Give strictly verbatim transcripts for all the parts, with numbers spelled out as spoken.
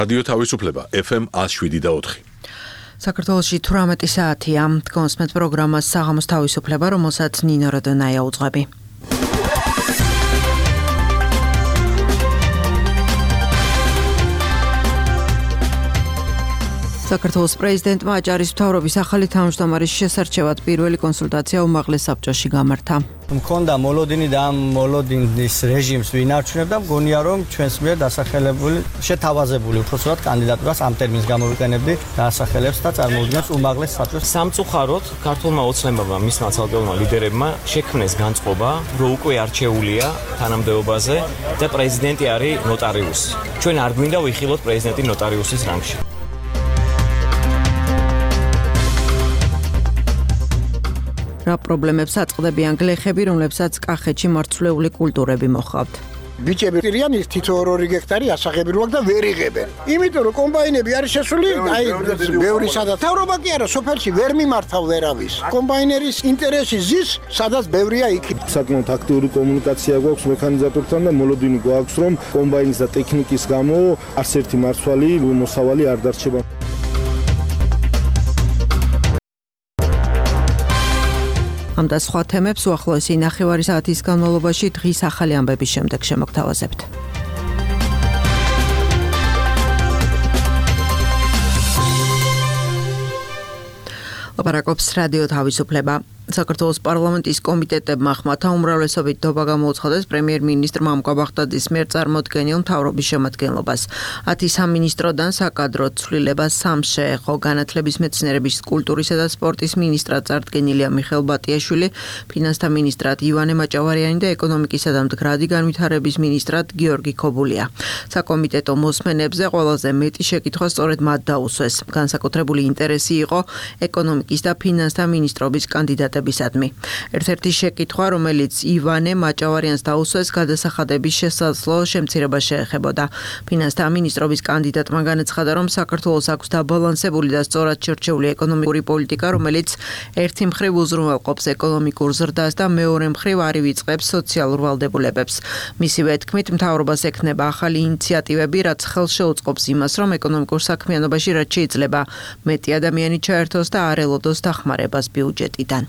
რადიო თავისუფლება ეფ ემ ათს შვიდი და ოთხი. საქართველოში თვრამეტი საათია. კონსმეთ პროგრამას საღამოს თავისუფლება, რომელსაც ნინო როდონაია უძღვები. საქართველოს პრეზიდენტმა აჭარის მთავრობის ახალი თავმჯდომარის შესარჩევად პირველი კონსულტაცია უმაღლეს საბჭოში გამართა. მქონდა მოლოდინი და ამ მოლოდინის რეჟიმს ვინარჩუნებდა, მგონია რომ ჩვენს მიერ დასახელებული, შეთავაზებული უпроსოდ კანდიდატურას ამ ტერმინს გამოვიყენებდი, დაასახელებს და წარმოუდგენს უმაღლეს საბჭოს. სამწუხაროდ ქართულმა ოცნებამ მისმა ცალკეულმა ლიდერებმა შექმნეს განწყობა, რომ უკვე არჩეულია თანამდებობაზე და პრეზიდენტი არის ნოტარიუსი. ჩვენ არ გვინდა ვიხილოთ პრეზიდენტი ნოტარიუსის რანგში. რა პრობლემებს აწყდებიან გლეხები, რომლებსაც კახეთში მარცვლეული კულტურები მოჰყავთ? ბიჭები პირიან თითო ორი გექტარი ასაღებრივად და ვერ იღებენ. იმიტომ რომ კომბაინები არის შესული, აი ბევრი სადაც თავრობა კი არა, სოფელში ვერ მიმართავ ვერავის. კომბაინერის ინტერესი ზის, სადაც ბევრია იქ. საკმაოდ აქტიური კომუნიკაცია გვაქვს მექანიზატორთან და მოლოდინი გვაქვს, რომ კომბაინის და ტექნიკის გამო არც ერთი მარცვალი მოსავალი არ დარჩება. ამ და სხვა თემებს უახლოესი ნახევარი საათის განმავლობაში დღის ახალი ამბების შემდეგ შემოგთავაზებთ. ლაპარაკობს რადიო თავისუფლება. საქართველოს პარლამენტის კომიტეტებმა ხმათა უმრავლესობით დობა გამოუცხადეს პრემიერ-მინისტრ მამუკა ბაღდაძის მიერ წარმოდგენილ მთავრობის შემადგენლობას. ათი სამინისტროდან საკადრო ცვლილება სამს შეეხო. განათლების, მეცნიერების, კულტურისა და სპორტის მინისტრად წარდგენილია მიხეილ ბატიაშვილი, ფინანსთა მინისტრად ივანე მაჭავარიანი და ეკონომიკისა და მდგრადი განვითარების მინისტრად გიორგი ქობულია. საკომიტეტო მოსმენებზე ყველაზე მეტი შეკითხვა სწორედ მათ დაუსვეს. განსაკუთრებული ინტერესი იყო ეკონომიკის და ფინანსთა მინისტრობის კანდიდატ ერთ-ერთი შეკითხვა, რომელიც ივანე მაჭავარიანს დაუსვეს, გადასახადების შესაძლო შემცირება შეეხებოდა. ფინანსთა მინისტრობის კანდიდატმა განაცხადა, რომ საქართველოს აქვს დაბალანსებული და სწორად შერჩეული ეკონომიკური პოლიტიკა, რომელიც ერთი მხრივ უზრუნველყოფს ეკონომიკურ ზრდას და მეორე მხრივ არ ივიწყებს სოციალურ ვალდებულებებს. მისივე თქმით, მთავრობას ექნება ახალი ინიციატივები, რაც ხელს შეუწყობს იმას, რომ ეკონომიკურ საქმიანობაში რაც შეიძლება მეტი ადამიანი ჩაერთოს და არ ელოდოს დახმარებას ბიუჯეტიდან.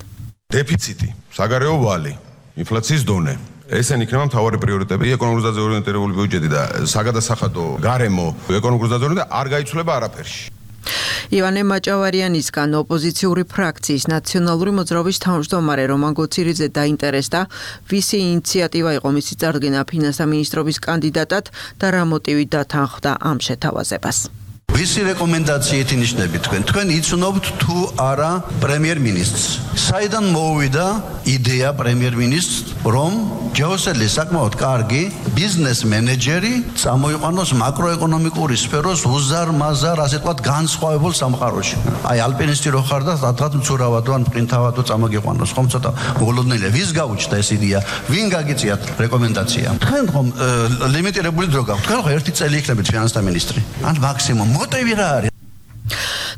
დეფიციტი, საგარეო ვალი, ინფლაციის დონე. ესენი იქნება მთავარი პრიორიტეტები, ეკონომიკურ ზრდაზე ორიენტირებული ბიუჯეტი და საგადასახადო გარემო ეკონომიკურ ზრდაზე და არ გაიცვლება არაფერში. ივანე მაჭავარიანისგან ოპოზიციური ფრაქციის ნაციონალური მოძრაობის თავმჯდომარე რომან გოცირიძე დაინტერესდა, ვისი ინიციატივა იყო მისი წარდგენა ფინანსთა მინისტრობის კანდიდატად და რა მოტივით დათანხმდა ამ შეთავაზებას. ვისი რეკომენდაციით ინიშნებით თქვენ? თქვენ იცნობთ თუ არა პრემიერ-მინისტრს? საიდან მოვიდა იდეა პრემიერ-მინისტრს, რომ ჯეოსელი საკმაოდ კარგი ბიზნეს მენეჯერი წამოიყვანოს მაკროეკონომიკური სფეროს უზარ-მაზარ, ასე ვთქვათ, განსხვავებულ სამყაროში. აი ალპინისტი რო ხარ და სადღაც მცურავადო ან პრინთავადო წამოგიყვანოს, ხომ ცოტა მოგლოდნელია. ვის გაუჩნდა ეს იდეა? ვინ გაგიწიათ რეკომენდაცია? თქვენ ხომ ლიმიტირებული დრო გაქვთ? თქვენ ხო ერთი წელი იქნებით ფინანსთა მინისტრი? ან მაქსიმუმ მოტივი რა არის?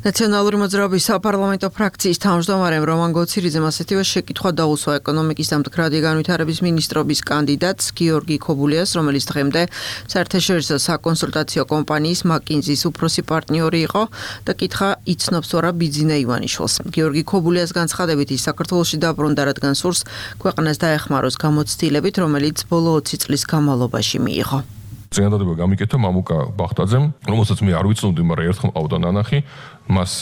ნაციონალური მოძრაობის საპარლამენტო ფრაქციის თავმჯდომარემ რომან გოცირიძემ ასეთივე შეკითხვა დაუსვა ეკონომიკის და მდგრადი განვითარების მინისტრობის კანდიდატს გიორგი ქობულიას, რომელიც დღემდე საერთაშორისო საკონსულტაციო კომპანიის მაკინზის უფროსი პარტნიორი იყო და კითხა იცნობს თუ არა ბიძინა ივანიშვილს. გიორგი ქობულიას განცხადებით ის საქართველოში დაბრუნდა, რადგან სურს ქვეყანას დაეხმაროს გამოცდილებით, რომელიც ბოლო ოცი წლის განმავლობაში მიიღო. წინადადება გამიკეთა მამუკა ბაღდაძემ, რომელსაც მე არ ვიცნობდი, მაგრამ ერთხელ მყავდა ნანახი, მას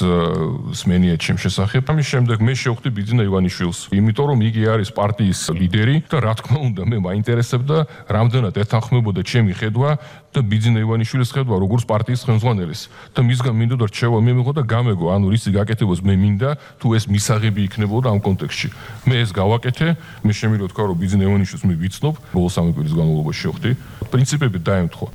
სმენია ჩემ შესახებ. ამის შემდეგ მე შევხვდი ბიძინა ივანიშვილს, იმიტომ რომ იგი არის პარტიის ლიდერი და რა თქმა უნდა მე მაინტერესებდა რამდენად ეთანხმებოდა ჩემი ხედვა და ბიძინა ივანიშვილის ხედვა როგორც პარტიის ხელმძღვანელის და მისგან მინდოდა რჩევა მე მიღო და გამეგო, ანუ რისი გაკეთებას მე მინდა, თუ ეს მისაღები იქნებოდა ამ კონტექსტში. მე ეს გავაკეთე, მე შემიძლია თქვა რომ ბიძინა ივანიშვილს მე ვიცნობ, ბოლო სამი კვირის განმავლობაში შევხვდი. პრინციპები დაემთხვა.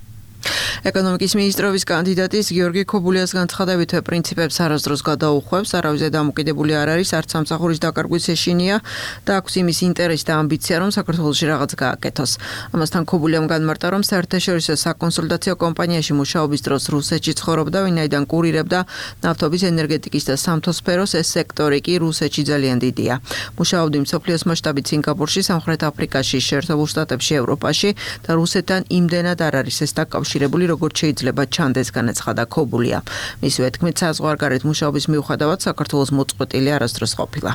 ეკონომიკის მინისტრობის კანდიდატის გიორგი ქობულიას განცხადებით პრინციპებს არასდროს გადაუხვევს, არავის დამოკიდებული არ არის, არც სამსახურის დაკარგვის ეშინია და აქვს იმის ინტერესი და ამბიცია, რომ საქართველოში რაღაც გააკეთოს. ამასთან ქობულიამ განმარტა, რომ საერთაშორისო საკონსულტაციო კომპანიაში მუშაობის დროს რუსეთში ცხოვრობდა, ვინაიდან კურირებდა ნავთობის, ენერგეტიკის და სამთო სფეროს, ეს სექტორი კი რუსეთში ძალიან დიდია. მუშაობდი მსოფლიოს მასშტაბით სინგაპურში, სამხრეთ აფრიკაში, შეერთებულ შტატებში, ევროპაში და რუსეთთან იმდენად არ არის ეს დაკავშირებული, როგორც შეიძლება ჩანდეს, განაცხადა ქობულია. მისივე თქმით, საზღვარგარეთ მუშაობის მიუხედავად საქართველოს მოწყვეტილი არასდროს ყოფილა.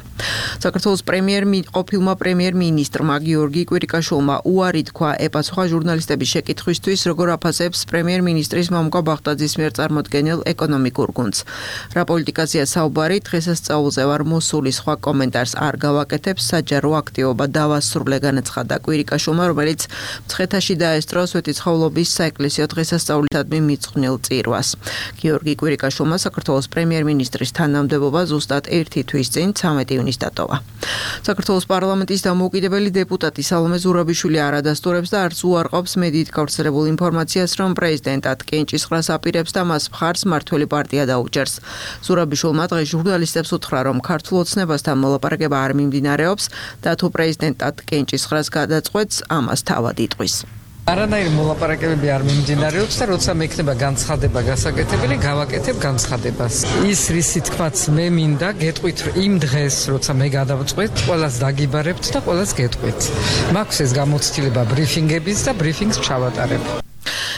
საქართველოს პრემიერ ყოფილმა პრემიერ-მინისტრმა გიორგი კვირიკაშვილმა უარი თქვა ეპასუხა ჟურნალისტების შეკითხვისთვის, როგორ აფასებს პრემიერ-მინისტრის მამუკა ბაღდაძის მიერ წარმოდგენილ ეკონომიკურ გუნდს. რა პოლიტიკაზეა საუბარი, დღესასწაულზე ვარ მოსული, სხვა კომენტარს არ გავაკეთებ, საჯარო აქტივობა დავასრულე, განაცხადა კვირიკაშვილმა, რომელიც მცხეთაში დაესწრო სვეტიცხოვლობის საეკლესიო დღესასწაულისადმი მიწყვნილ წირვას. გიორგი კვირიკაშვილმა საქართველოს პრემიერ-მინისტრის თანამდებობა ზუსტად ერთი თვის წინ ცამეტი ივნისს დატოვა. საქართველოს პარლამენტის დამოუკიდებელი დეპუტატი სალომე ზურაბიშვილი არ ადასტურებს და არც უარყოფს მედიით გავრცელებულ ინფორმაციას, რომ პრეზიდენტად კენჭისყრას აპირებს და მას მხარს მმართველი პარტია დაუჯერს. ზურაბიშვილმა დღეს ჟურნალისტებს უთხრა, რომ ქართულ ოცნებასთან მოლაპარაკება არ მიმდინარეობს და თუ პრეზიდენტად კენჭისყრას გადაწყვეტს, ამას თავად იტყვის. არანაირი მოლაპარაკებები არ მიმდინარეობს და როცა მექნება განცხადება გასაკეთებელი, გავაკეთებ განცხადებას. ის რისი თქმაც მე მინდა, გეტყვით იმ დღეს, როცა მე გადავწყვეტ, ყველას დაგიბარებთ და ყველას გეტყვით. მაქვს ეს გამოცდილება ბრიფინგების და ბრიფინგს ჩავატარებ.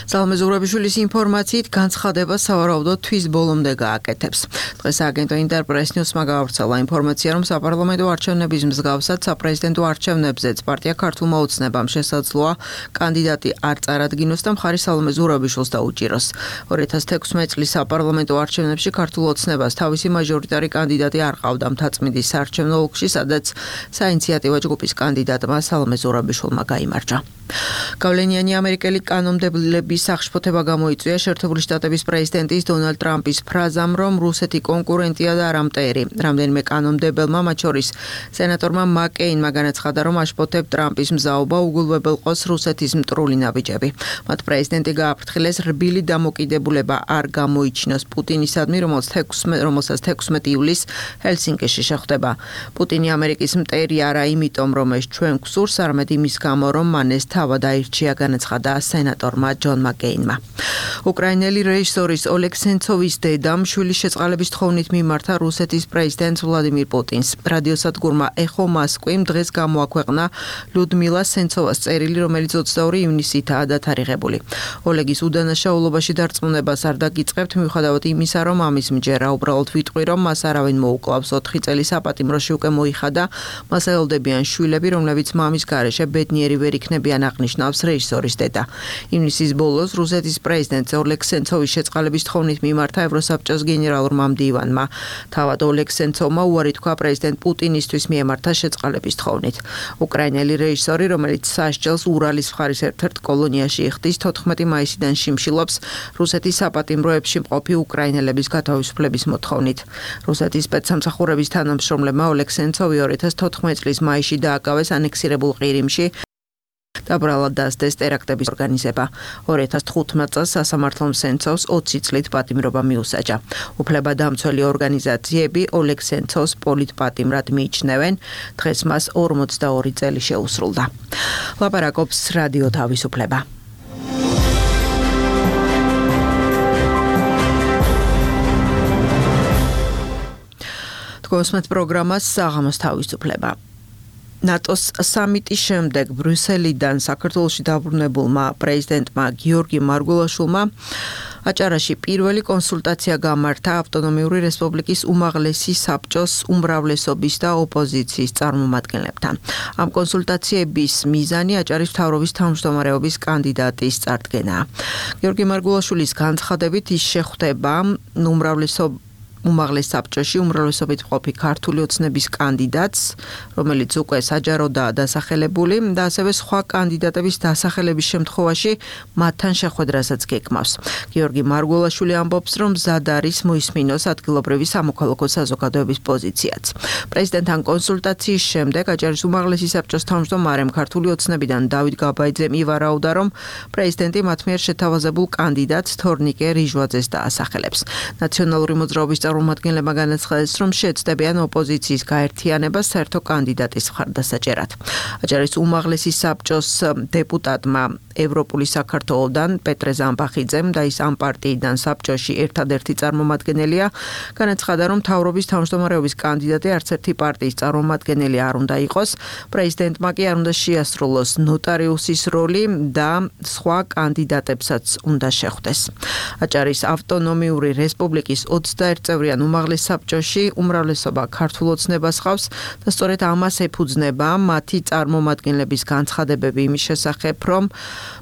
სალომე ზურაბიშვილის ინფორმაციით განცხადება სავარაუდოდ თვის ბოლომდე გააკეთებს. დღეს აგენტო ინტერპრეს ნიუსმა გავრცელა ინფორმაცია, რომ საპარლამენტო არჩევნების მსგავსად საპრეზიდენტო არჩევნებზეც პარტია ქართულმა ოცნებამ შესაძლოა კანდიდატი არ წარადგინოს და მხარი სალომე ზურაბიშვილს დაუჭიროს. ორი ათას თექვსმეტ წლის საპარლამენტო არჩევნებში ქართულ ოცნებას თავისი მაჟორიტარი კანდიდატი არ ყავდა მთაწმინდის საარჩევნო ოლქში, სადაც საინიციატივო ჯგუფის კანდიდატმა სალომე ზურაბიშვილმა გაიმარჯვა. გავლენიანი ამერიკელი კანონმდებლების სახშფოთება გამოიწვია შეერთებული შტატების პრეზიდენტის დონალდ ტრამპის ფრაზამ, რომ რუსეთი კონკურენტია და არა მტერი. რამდენიმე კანონმდებელმა, მათ შორის სენატორმა მაკეინმა განაცხადა, რომ აშფოთებ ტრამპის მზაობა უგულებელყოს რუსეთის მტრული ნაბიჯები. მათ პრეზიდენტი გააფრთხილეს რბილი დამოკიდებულება არ გამოიჩინოს პუტინისადმი, რომელსაც თექვსმეტი ივლისს ჰელსინკიში შეხვდება. პუტინი ამერიკის მტერი არა იმიტომ, რომ ეს ჩვენ გვსურს, არამედ იმის გამო, რომ მან ეს თავად აირჩია, განაცხადა სენატორმა ჯონ მაკეინმა. უკრაინელი რეჟისორის ოლეგ სენცოვის დედამ შვილის შეწყალების თხოვნით მიმართა რუსეთის პრეზიდენტ ვლადიმირ პუტინს. რადიოსადგურმა ეხო მოსკვიმ დღეს გამოაქვეყნა ლუდმილა სენცოვას წერილი, რომელიც ოცდაორი ივნისითაა დათარიღებული. ოლეგის უდანაშაულობაში დარწმუნებას არ დაგიწყებთ, მიუხედავად იმისა, რომ ამის მჯერა, უბრალოდ ვიტყვი, რომ მას არავინ მოუკლავს. ოთხი წელი საპატიმროში უკვე მოიხადა. მას ელოდებიან შვილები, რომლებიც მამის გარეშე ბედნიერი ვერ იქნებიან, აღნიშნავს რეჟისორის დედა. ივნისის ბოლოს რუსეთის პრეზიდენტ ოლეგ სენცოვის შეწყალების თხოვნით მიმართა ევროსაბჭოს გენერალურმა მდივანმა. თავად ოლეგ სენცოვმა უარი თქვა პრეზიდენტ პუტინისთვის მიემართა შეწყალების თხოვნით. უკრაინელი რეჟისორი, რომელიც სასჯელს ურალის მხარის ერთ-ერთ კოლონიაში იხდის, თოთხმეტი მაისიდან შიმშილობს რუსეთის საპატიმროებში მყოფი უკრაინელების გათავისუფლების მოთხოვნით. რუსეთის სპეცსამსახურების თანამშრომლებმა ოლეგ სენცოვი ორი ათას თოთხმეტ წლის მაისში დააკავეს ანექსირებულ ყირიმში და ბრალად დასდეს ტერაქტების ორგანიზება. ორი ათას თხუთმეტ წელს სასამართლომ სენცოვს ოცი წლით პატიმრობა მიუსაჯა. უფლებადამცველი ორგანიზაციები ოლეგ სენცოვს პოლიტპატიმრად მიიჩნევენ. დღეს მას ორმოცდაორი წელი შეუსრულდა. ლაპარაკობს რადიო თავისუფლება. თქვენს პროგრამას საღამოს თავისუფლება. ნატოს სამიტის შემდეგ ბრიუსელიდან საქართველოში დაბრუნებულმა პრეზიდენტმა გიორგი მარგველაშვილმა აჭარაში პირველი კონსულტაცია გამართა ავტონომიური რესპუბლიკის უმაღლესი საბჭოს უმრავლესობის და ოპოზიციის წარმომადგენლებთან. ამ კონსულტაციების მიზანი აჭარის მთავრობის თავმჯდომარეობის კანდიდატის წარდგენაა. გიორგი მარგველაშვილის განცხადებით ის შეხვდება უმრავლესობის უმაღლეს საბჭოში უმრავლესობით მყოფი ქართული ოცნების კანდიდატს, რომელიც უკვე საჯაროდაა დასახელებული და ასევე სხვა კანდიდატების დასახელების შემთხვევაში მათთან შეხვედრასაც გეკმავს. გიორგი მარგველაშვილი ამბობს, რომ მზად არის მოისმინოს ადგილობრივი სამოქალაქო საზოგადოების პოზიციაც. პრეზიდენტთან კონსულტაციის შემდეგ აჭარის უმაღლესი საბჭოს თავმჯდომარემ ქართული ოცნებიდან დავით გაბაიძემ ივარაუდა, რომ პრეზიდენტი მათ მიერ შეთავაზებულ კანდიდატს თორნიკე რიჟვაძეს დაასახელებს. ნაციონალური მოძრაობის წარმომადგენლებმა განაცხადეს, რომ შეეცდებიან ოპოზიციის გაერთიანებას საერთო კანდიდატის მხარდასაჭერად. აჭარის უმაღლესი საბჭოს დეპუტატმა ევროპული საქართველოდან პეტრე ზამბახიძემ და ის ამ პარტიიდან საბჭოში ერთადერთი წარმომადგენელია, განაცხადა, რომ მთავრობის თავმჯდომარეობის კანდიდატი არც ერთი პარტიის წარმომადგენელი არ უნდა იყოს, პრეზიდენტმა კი არ უნდა შეასრულოს ნოტარიუსის როლი და სხვა კანდიდატებსაც უნდა შეხვდეს. აჭარის ავტონომიური რესპუბლიკის ოცდაერთწევრიან უმაღლეს საბჭოში უმრავლესობა ქართულ ოცნებას ჰყავს და სწორედ ამას ეფუძნება მათი წარმომადგენლების განცხადებები იმის შესახებ, რომ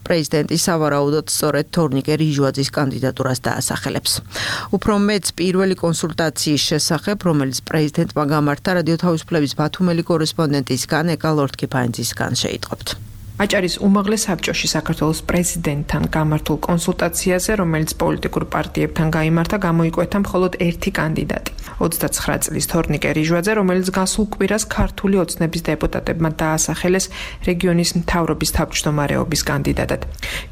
პრეზიდენტი სავარაუდოდ სწორედ თორნიკე რიჟვაძის კანდიდატურას დაასახელებს. უფრო მეც პირველი კონსულტაციის შესახებ, რომელიც პრეზიდენტმა გამართა რადიო თავისუფლების ბათუმელი კორესპონდენტისგან ეკა ლორთქიფანძისგან შეიტყობთ. აჭარის უმაღლეს საბჭოში საქართველოს პრეზიდენტთან გამართულ კონსულტაციაზე, რომელიც პოლიტიკურ პარტიებთან გაიმართა, გამოიკვეთა მხოლოდ ერთი კანდიდატი. ოცდაცხრა წლის თორნიკე რიჟვაძე, რომელიც გასულ კვირას ქართული ოცნების დეპუტატებმა დაასახელეს რეგიონის მთავრობის თავმჯდომარეობის კანდიდატად.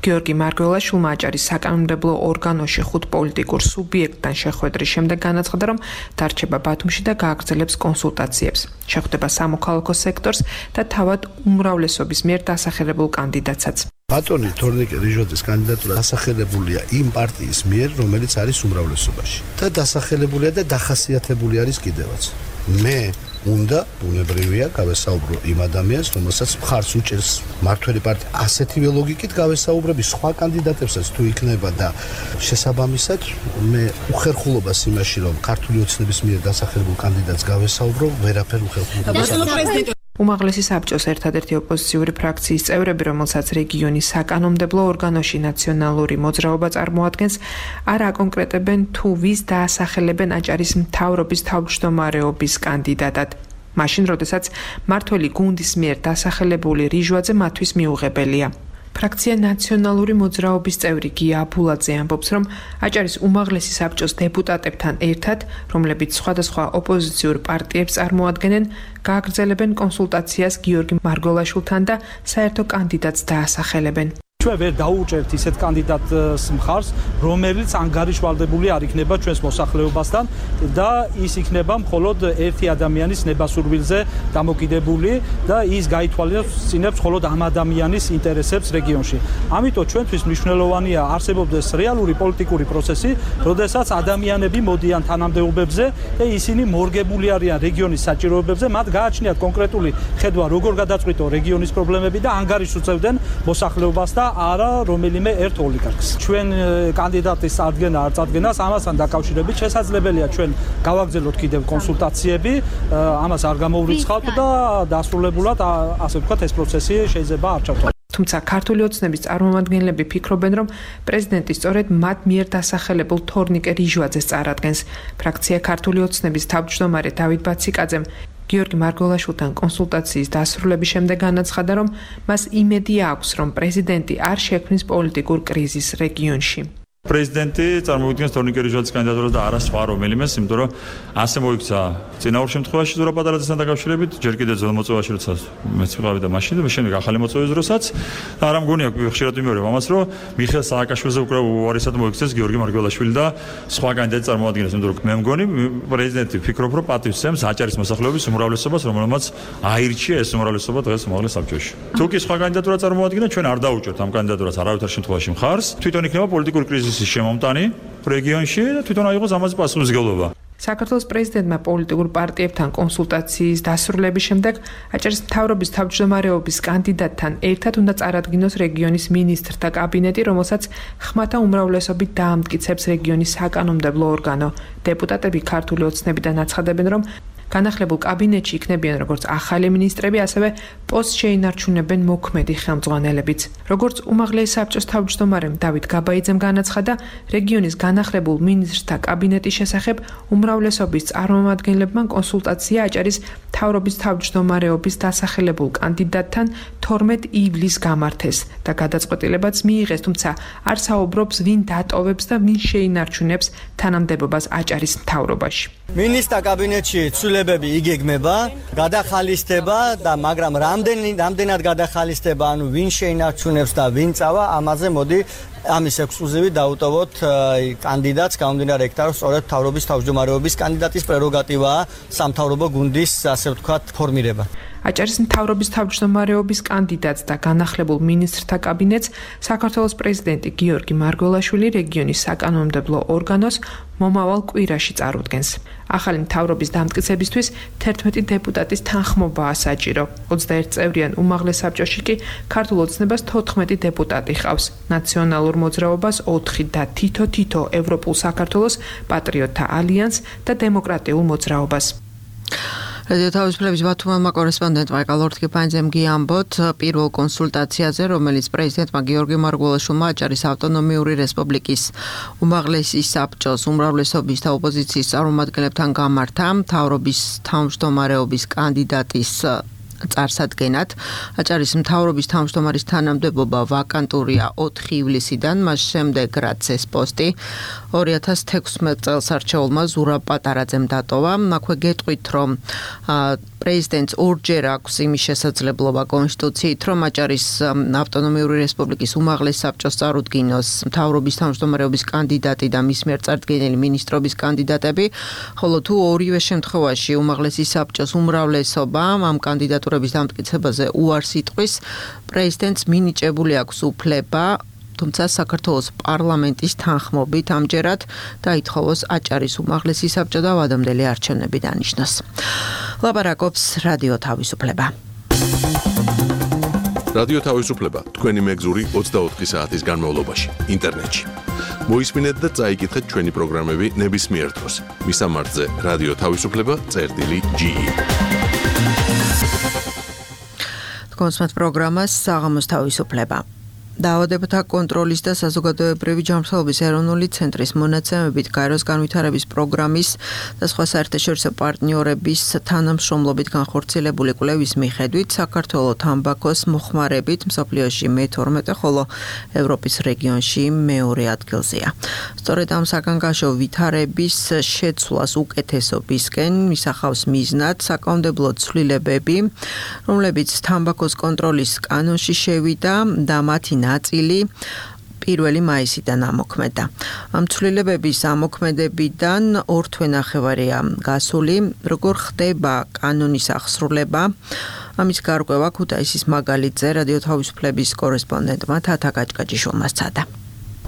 გიორგი მარგველაშვილმა აჭარის საკანონმდებლო ორგანოში ხუთ პოლიტიკურ სუბიექტთან შეხვედრის შემდეგ განაცხადა, რომ დარჩება ბათუმში და გააგრძელებს კონსულტაციებს. შეხვდება სამოქალაქო სექტორს და თავად უმრავლესობის მიერ დასახელებულ კანდიდატსაც. ბატონი თორნიკე რიჟვაძის კანდიდატურა დასახელებულია იმ პარტიის მიერ, რომელიც არის უმრავლესობაში და დასახელებულია და დახასიათებული არის კიდევაც. მე უნდა ბუნებრივია გავესაუბრო იმ ადამიანს, რომელსაც მხარს უჭერს მართველი პარტია. ასეთივე ლოგიკით გავესაუბრები სხვა კანდიდატებსაც თუ იქნება და შესაბამისად მე უხერხულობას იმაში, რომ ქართული ოცნების მიერ დასახელებულ კანდიდატს გავესაუბრო, ვერაფერ უხერხულობას. უმაღლესი საბჭოს ერთადერთი ოპოზიციური ფრაქციის წევრები, რომელსაც რეგიონის საკანონმდებლო ორგანოში ნაციონალური მოძრაობა წარმოადგენს, არ აკონკრეტებენ თუ ვის დაასახელებენ აჭარის მთავრობის თავმჯდომარეობის კანდიდატად. მაშინ, როდესაც მართველი გუნდის მიერ დასახელებული რიჟვაძე მათთვის მიუღებელია. ფრაქცია ნაციონალური მოძრაობის წევრი გია აბულაძე ამბობს, რომ აჭარის უმაღლესი საბჭოს დეპუტატებთან ერთად, რომლებიც სხვადასხვა ოპოზიციურ პარტიებს წარმოადგენენ, გააგრძელებენ კონსულტაციას გიორგი მარგველაშვილთან და საერთო კანდიდატს დაასახელებენ. ჩვენ ვერ დაუჭერთ ისეთ კანდიდატს მხარს, რომელიც ანგარიშვალდებული არ იქნება ჩვენს მოსახლეობასთან და ის იქნება მხოლოდ ერთი ადამიანის ნებასურვილზე დამოკიდებული და ის გაითვალისწინებს მხოლოდ ამ ადამიანის ინტერესებს რეგიონში. ამიტომ ჩვენთვის მნიშვნელოვანია არსებობდეს რეალური პოლიტიკური პროცესი, როდესაც ადამიანები მოდიან თანამდებობებზე და ისინი მორგებული არიან რეგიონის საჭიროებებზე, მათ გააჩნიათ კონკრეტული ხედვა, როგორ გადაწყვიტო რეგიონის პრობლემები და ანგარიშს უწევდნენ მოსახლეობას და არა რომელიმე ერთ ოლიგარქს. ჩვენ კანდიდატის წარდგენა არ წარდგენას ამასთან დაკავშირებით შესაძლებელია ჩვენ გავაგრძელოთ კიდევ კონსულტაციები, ამას არ გამოვრიცხავთ და დასრულებულად ასე ვთქვათ ეს პროცესი შეიძლება არ ჩავთვალოთ. თუმცა ქართული ოცნების წარმომადგენლები ფიქრობენ, რომ პრეზიდენტი სწორედ მათ მიერ დასახელებულ თორნიკე რიჟვაძეს წარადგენს. ფრაქცია ქართული ოცნების თავმჯდომარე დავით ბაციკაძემ გიორგი მარგველაშვილთან კონსულტაციის დასრულების შემდეგ განაცხადა, რომ მას იმედი აქვს, რომ პრეზიდენტი არ შექმნის პოლიტიკურ კრიზისს რეგიონში. პრეზიდენტი წარმოადგენს თორნიკე რიჟვაძის კანდიდატურას და არა სხვა რომელიმეს, იმიტომ რომ ასე მოიქცა წინაურ შემთხვევაში ზურაბ პატარაძესთან დაკავშირებით, ჯერ კიდევ ძველ მოწვევაში, როცა მეც ვიყავი და მაშინ და შემდეგ ახალი მოწვევის დროსაც და არა მგონია ხშირად ვიმეორებ ამას, რომ მიხეილ სააკაშვილზე უკვე უარესად მოიქცეს გიორგი მარგველაშვილი და სხვა კანდიდატი წარმოადგენს, იმიტომ რომ მე მგონი პრეზიდენტი ფიქრობ, რომ პატივს სცემს აჭარის მოსახლეობის უმრავლესობას, რომელმაც აირჩია ეს უმრავლესობა დღეს უმაღლეს საბჭოში. თუ კი სხვა კანდიდატურა წარმოადგენდა, ჩვენ არ დაუჭერთ ამ კანდიდატურას არავითარ შემთხვევაში მხარს, თვითონ იქნება პოლიტიკური კრიზისი შემომტანი რეგიონში და თვითონ აიღოს ამაზე პასუხისმგებლობა. საქართველოს პრეზიდენტმა პოლიტიკურ პარტიებთან კონსულტაციის დასრულების შემდეგ აჭარის მთავრობის თავმჯდომარეობის კანდიდატთან ერთად უნდა წარადგინოს რეგიონის მინისტრთა კაბინეტი, რომელსაც ხმათა უმრავლესობით დაამტკიცებს რეგიონის საკანონმდებლო ორგანო. დეპუტატები ქართული ოცნებიდან აცხადებენ, რომ განახლებულ კაბინეტში იქნებიან როგორც ახალი მინისტრები, ასევე პოსტს შეინარჩუნებენ მოქმედი ხელმძღვანელებიც. როგორც უმაღლეს საბჭოს თავმჯდომარემ დავით გაბაიძემ განაცხადა, რეგიონის განახლებულ მინისტრთა კაბინეტის შესახებ უმრავლესობის წარმომადგენლებმა კონსულტაცია აჭარის მთავრობის თავმჯდომარეობის დასახელებულ კანდიდატთან თორმეტ ივლისს გამართეს და გადაწყვეტილებაც მიიღეს, თუმცა არ საუბრობს ვინ დატოვებს და ვინ შეინარჩუნებს თანამდებობას აჭარის მთავრობაში. მინისტრთა კაბინეტში ცვლილებები იგეგმება, გადახალისდება და მაგრამ რამდენი რამდენად გადახალისდება, ანუ ვინ შეინარჩუნებს და ვინ წავა, ამაზე მოდი ამის ექსკლუზივი დაუტოვოთ კანდიდატს, გამომდინარე იქიდან, რომ სწორედ მთავრობის თავმჯდომარეობის კანდიდატის პრეროგატივაა სამთავრობო გუნდის, ასე ვთქვათ, ფორმირება. აჭარის მთავრობის თავმჯდომარეობის კანდიდატს და განახლებულ მინისტრთა კაბინეტს საქართველოს პრეზიდენტი გიორგი მარგველაშვილი რეგიონის საკანონმდებლო ორგანოს მომავალ კვირაში წარუდგენს. ახალი მთავრობის დამტკიცებისთვის თერთმეტი დეპუტატის თანხმობაა საჭირო. ოცდაერთ წევრიან უმაღლეს საბჭოში კი ქართულ ოცნებას თოთხმეტი დეპუტატი ყავს. ნაციონალურ მოძრაობას ოთხი და თითო-თითო ევროპულ საქართველოს პატრიოტთა ალიანსს და დემოკრატიულ მოძრაობას. რადიო თავისუფლების ბათუმელმა კორესპონდენტმა კალორთკიფანძემ გიამბოთ პირველ კონსულტაციაზე, რომელიც პრეზიდენტმა გიორგი მარგველაშვილმა აჭარის ავტონომიური რესპუბლიკის უმაღლესი საბჭოს უმრავლესობის და ოპოზიციის წარმომადგენლებთან გამართა მთავრობის თავმჯდომარეობის კანდიდატის წარსადგენად. აჭარის მთავრობის თავმჯდომარის თანამდებობა ვაკანტურია ოთხი ივლისიდან, მას შემდეგ რაც ეს პოსტი ორი ათას თექვსმეტ წელს არჩეულმა ზურაბ პატარაძემ დატოვა. აქვე გეტყვით, რომ პრეზიდენტს ორჯერ აქვს იმის შესაძლებლობა კონსტიტუციით, რომ აჭარის ავტონომიური რესპუბლიკის უმაღლეს საბჭოს წარუდგინოს მთავრობის თავმჯდომარეობის კანდიდატი და მის მიერ წარდგენილი მინისტრობის კანდიდატები, ხოლო თუ ორივე შემთხვევაში უმაღლესი საბჭოს უმრავლესობა ამ კანდიდატურების დამტკიცებაზე უარს იტყვის, პრეზიდენტს მინიჭებული აქვს უფლება, თუმცა საქართველოს პარლამენტის თანხმობით ამჯერად დაითხოვოს აჭარის უმაღლესი საბჭო და ვადამდელი არჩევნები დანიშნოს. ლაპარაკობს რადიო თავისუფლება. რადიო თავისუფლება თქვენი მეგზური ოცდაოთხი საათის განმავლობაში ინტერნეტში. მოისმინეთ და წაიკითხეთ ჩვენი პროგრამები ნებისმიერ დროს. მისამართზე რადიო თავისუფლება წერტილი ჯი ი. თქვენს პროგრამას საღამოს თავისუფლება. დაავადებათა კონტროლის და საზოგადოებრივი ჯანმრთელობის ეროვნული ცენტრის მონაცემებით გაეროს განვითარების პროგრამის და სხვა საერთაშორისო პარტნიორების თანამშრომლობით განხორციელებული კვლევის მიხედვით საქართველოს თამბაქოს მოხმარებით მსოფლიოში მეთორმეტე, ხოლო ევროპის რეგიონში მეორე ადგილზეა. სწორედ ამ საგანგაშო ვითარების შეცვლას უკეთესობისკენ ისახავს მიზნად საკანონმდებლო ცვლილებები, რომლებიც თამბაქოს კონტროლის კანონში შევიდა და მათი ნაწილი პირველი მაისიდან ამოქმედა. ამ ცვლილებების ამოქმედებიდან ორ თვენახევარია გასული. როგორ ხდება კანონის აღსრულება? ამის გარკვევა ქუთაისის მაგალითზე რადიო თავისუფლების კორესპონდენტმა თათა გაჭკაჭიშვილმა სცადა.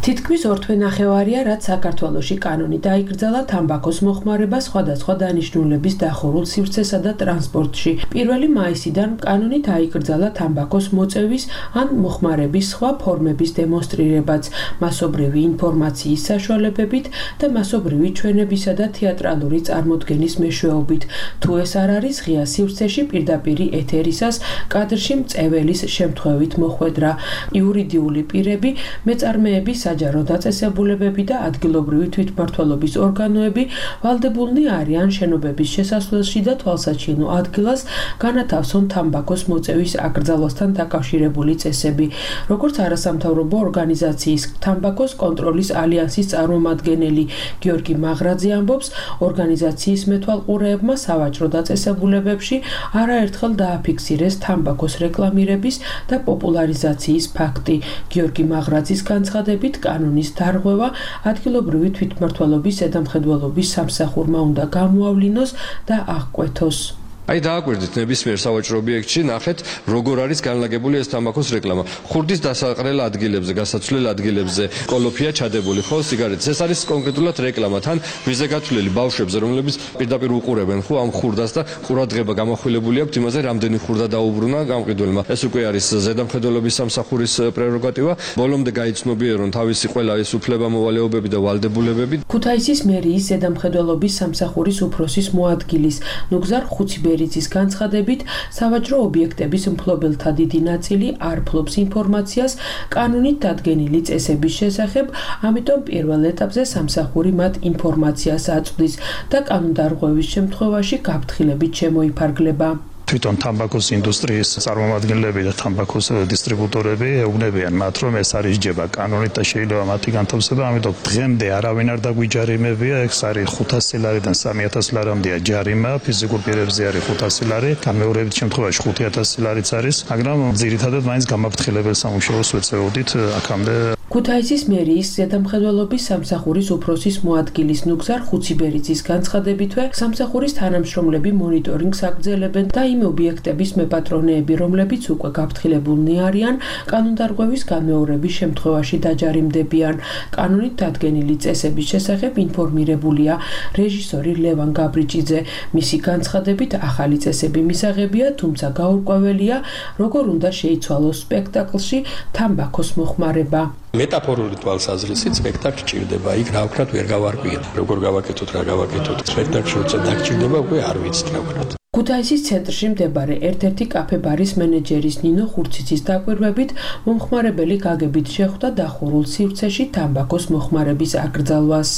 თითქმის ორ თვენახევარია, რაც საქართველოში კანონი დაიკრძალა თამბაქოს მოხმარება სხვადასხვა დანიშნულების დახურულ სივრცესა და ტრანსპორტში. პირველი მაისიდან კანონი დაიკრძალა თამბაქოს მოწევის ან მოხმარების სხვა ფორმების დემონსტრირებაც, მასობრივი ინფორმაციის საშუალებებით და მასობრივი ჩვენებისა და თეატრალური წარმოდგენის მეშვეობით. თუ ეს არ არის ღია სივრცეში პირდაპირი ეთერისას კადრში მწეველის შემთხვევით მოხვედრა. იურიდიული პირები, მეწარმეების საჯარო დაწესებულებები და ადგილობრივი თვითმმართველობის ორგანოები ვალდებულნი არიან შენობების შესასვლელში და თვალსაჩინო ადგილას განათავსონ თამბაქოს მოწევის აკრძალვასთან დაკავშირებული წესები. როგორც არასამთავრობო ორგანიზაციის თამბაქოს კონტროლის ალიანსის წარმომადგენელი გიორგი მაღრაძე ამბობს, ორგანიზაციის მეთვალყურეებმა სავაჭრო დაწესებულებებში არაერთხელ დააფიქსირეს თამბაქოს რეკლამირების და პოპულარიზაციის ფაქტი. გიორგი მაღრაძის განცხადებით, კანონის დარღვევა ადგილობრივი თვითმმართველობის ზედამხედველობის სამსახურმა უნდა გამოავლინოს და აღკვეთოს. აი დააკვირდით ნებისმიერ სავაჭრო ობიექტში, ნახეთ როგორ არის განლაგებული ეს თამბაქოს რეკლამა. ხურდის დასაყრელ ადგილებზე, გასაცვლელ ადგილებზე კოლოფია ჩადებული, ხო, სიგარეტის. ეს არის კონკრეტულად რეკლამა, თან მიზზე გათვლილი ბავშვებზე, რომლებიც პირდაპირ უყურებენ, ხო, ამ ხურდას და ყურადღება გამახვილებული აქვს იმაზე, რამდენი ხურდა დაუბრუნა გამყიდველმა. ეს უკვე არის ზედამხედველობის სამსახურის პრეროგატივა. ბოლომდე გაიცნობიერონ თავისი ყველა ეს უფლებამოვალეობები და ვალდებულებები. ქუთაისის მერიის ზედამხედველობის სამსახურის უფროსის მოადგილის ნუგზარ ხუციბე ბერიძის განცხადებით, სავაჭრო ობიექტების მფლობელთა დიდი ნაწილი არ ფლობს ინფორმაციას კანონით დადგენილი წესების შესახებ, ამიტომ პირველ ეტაპზე სამსახური მათ ინფორმაციას აწვდის და კანონდარღვევის შემთხვევაში გაფრთხილებით შემოიფარგლება. თვითონ თამბაქოს ინდუსტრიის წარმომადგენლები და თამბაქოს დისტრიბუტორები ეუბნებიან მათ, რომ ეს არის ჯება კანონით და შეიძლება მათი განთავსება, ამიტომ დღემდე არავინ არ დაგვიჯარიმებია, ეს არის ხუთასი ლარიდან სამი ათასი ლარამდეა ჯარიმა, ფიზიკურ პირებზე არის ხუთასი ლარი, გამეორებით შემთხვევაში ხუთი ათასი ლარიც არის, მაგრამ ძირითადად მაინც გამაფრთხილებელ სამუშაოს ვეწეოდით აქამდე. ქუთაისის მერიის ზედამხედველობის სამსახურის უფროსის მოადგილის ნუგზარ ხუციბერიძის განცხადებითვე სამსახურის თანამშრომლები მონიტორინგს აგრძელებენ და იმ ობიექტების მეპატრონეები, რომლებიც უკვე გაფრთხილებულნი არიან, კანონდარღვევის განმეორების შემთხვევაში დაჯარიმდებიან. კანონით დადგენილი წესების შესახებ ინფორმირებულია რეჟისორი ლევან გაბრიჭიძე. მისი განცხადებით ახალი წესები მისაღებია, თუმცა გაურკვეველია, როგორ უნდა შეიცვალოს სპექტაკლში თამბაქოს მოხმარება. მეტაფორული თვალსაზრისით სპექტაკლი ჭირდება, იქ რა ვქნათ ვერ გავარკვიეთ. როგორ გავაკეთოთ, რა გავაკეთოთ. სპექტაკლში როცა დაგჭირდება, უკვე არ ვიცით რა ვქნათ. ქუთაისის ცენტრში მდებარე ერთ-ერთი კაფე-ბარის მენეჯერის ნინო ხურციცის დაკვირვებით, მომხმარებელი გაგებით შეხვდა დახურულ სივრცეში თამბაქოს მოხმარების აკრძალვას.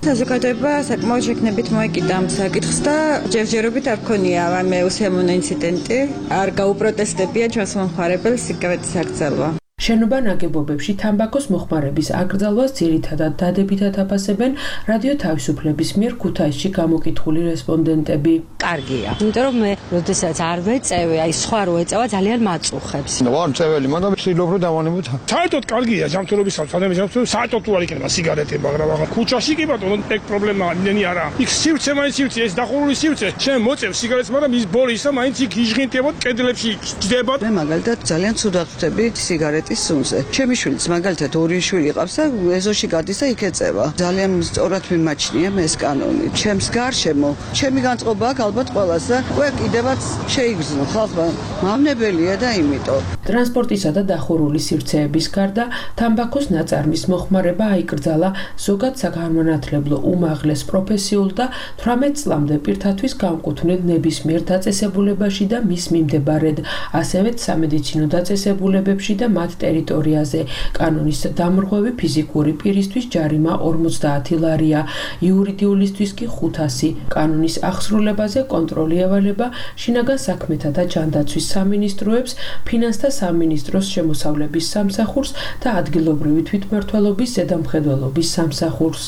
საზოგადოება საკმაოდ შექმნებით მოეკიდა ამ საკითხს და ჯერჯერობით არ ქონია ამ უსიამოვნო ინციდენტი. არ გაუპროტესტებია ჩვენს მომხმარებელს სიგარეტის აკრძალვა. შენობა ნაგებობებში თამბაქოს მოხმარების აკრძალვას ძირითადად დადებითად აფასებენ რადიო თავისუფლების მიერ ქუთაისში გამოკითხული რესპონდენტები. კარგია, იმიტომ რომ მე როდესაც არ ვეწევე, აი სხვა რო ეწევა ძალიან მაწუხებს. ვარ მწეველი, მაგრამ ვცდილობ რომ დავანებოთ. საერთოდ კარგია ჯანმრთელობის სამსახურში, საერთოდ თუ არ იქნება სიგარეტები, მაგრამ ახლა ქუჩაში კი ბატონო, ეგ პრობლემა იმენი არა. იქ სივრცე მაინც სივრცე, ეს დახურული სივრცე. შენ მოწევ სიგარეტს, მაგრამ ის ბორი ისა მაინც იქ იჟღინტებოდ კედლებში ჯდება. მე მაგალითად ძალიან ცუდად ვხვდები სიგარეტის სუნზე. ჩემი შვილიც მაგალითად ორი შვილი ყავს და ეზოში გადის და იქ ეწევა. ძალიან სწორად მიმაჩნია მე ეს კანონი. ჩემს გარშემო, ჩემი განწყობაა ალბათ ყველას და უკვე კიდევაც შეიგრძნო ხალხმა. მავნებელია და იმიტომ. ტრანსპორტისა და დახურული სივრცეების გარდა თამბაქოს ნაწარმის მოხმარება აიკრძალა ზოგად საგანმანათლებლო უმაღლეს პროფესიულ და თვრამეტ წლამდე პირთათვის განკუთვნილ ნებისმიერ დაწესებულებაში და მის მიმდებარედ, ასევე სამედიცინო დაწესებულებებში და მათ ტერიტორიაზე. კანონის დამრღვევი ფიზიკური პირისთვის ჯარიმა ორმოცდაათი ლარია, იურიდიულისთვის კი ხუთასი. კანონის აღსრულებაზე კონტროლი ევალება შინაგან საქმეთა და ჯანდაცვის სამინისტროებს, ფინანსთა სამინისტროს შემოსავლების სამსახურს და ადგილობრივი თვითმმართველობის ზედამხედველობის სამსახურს.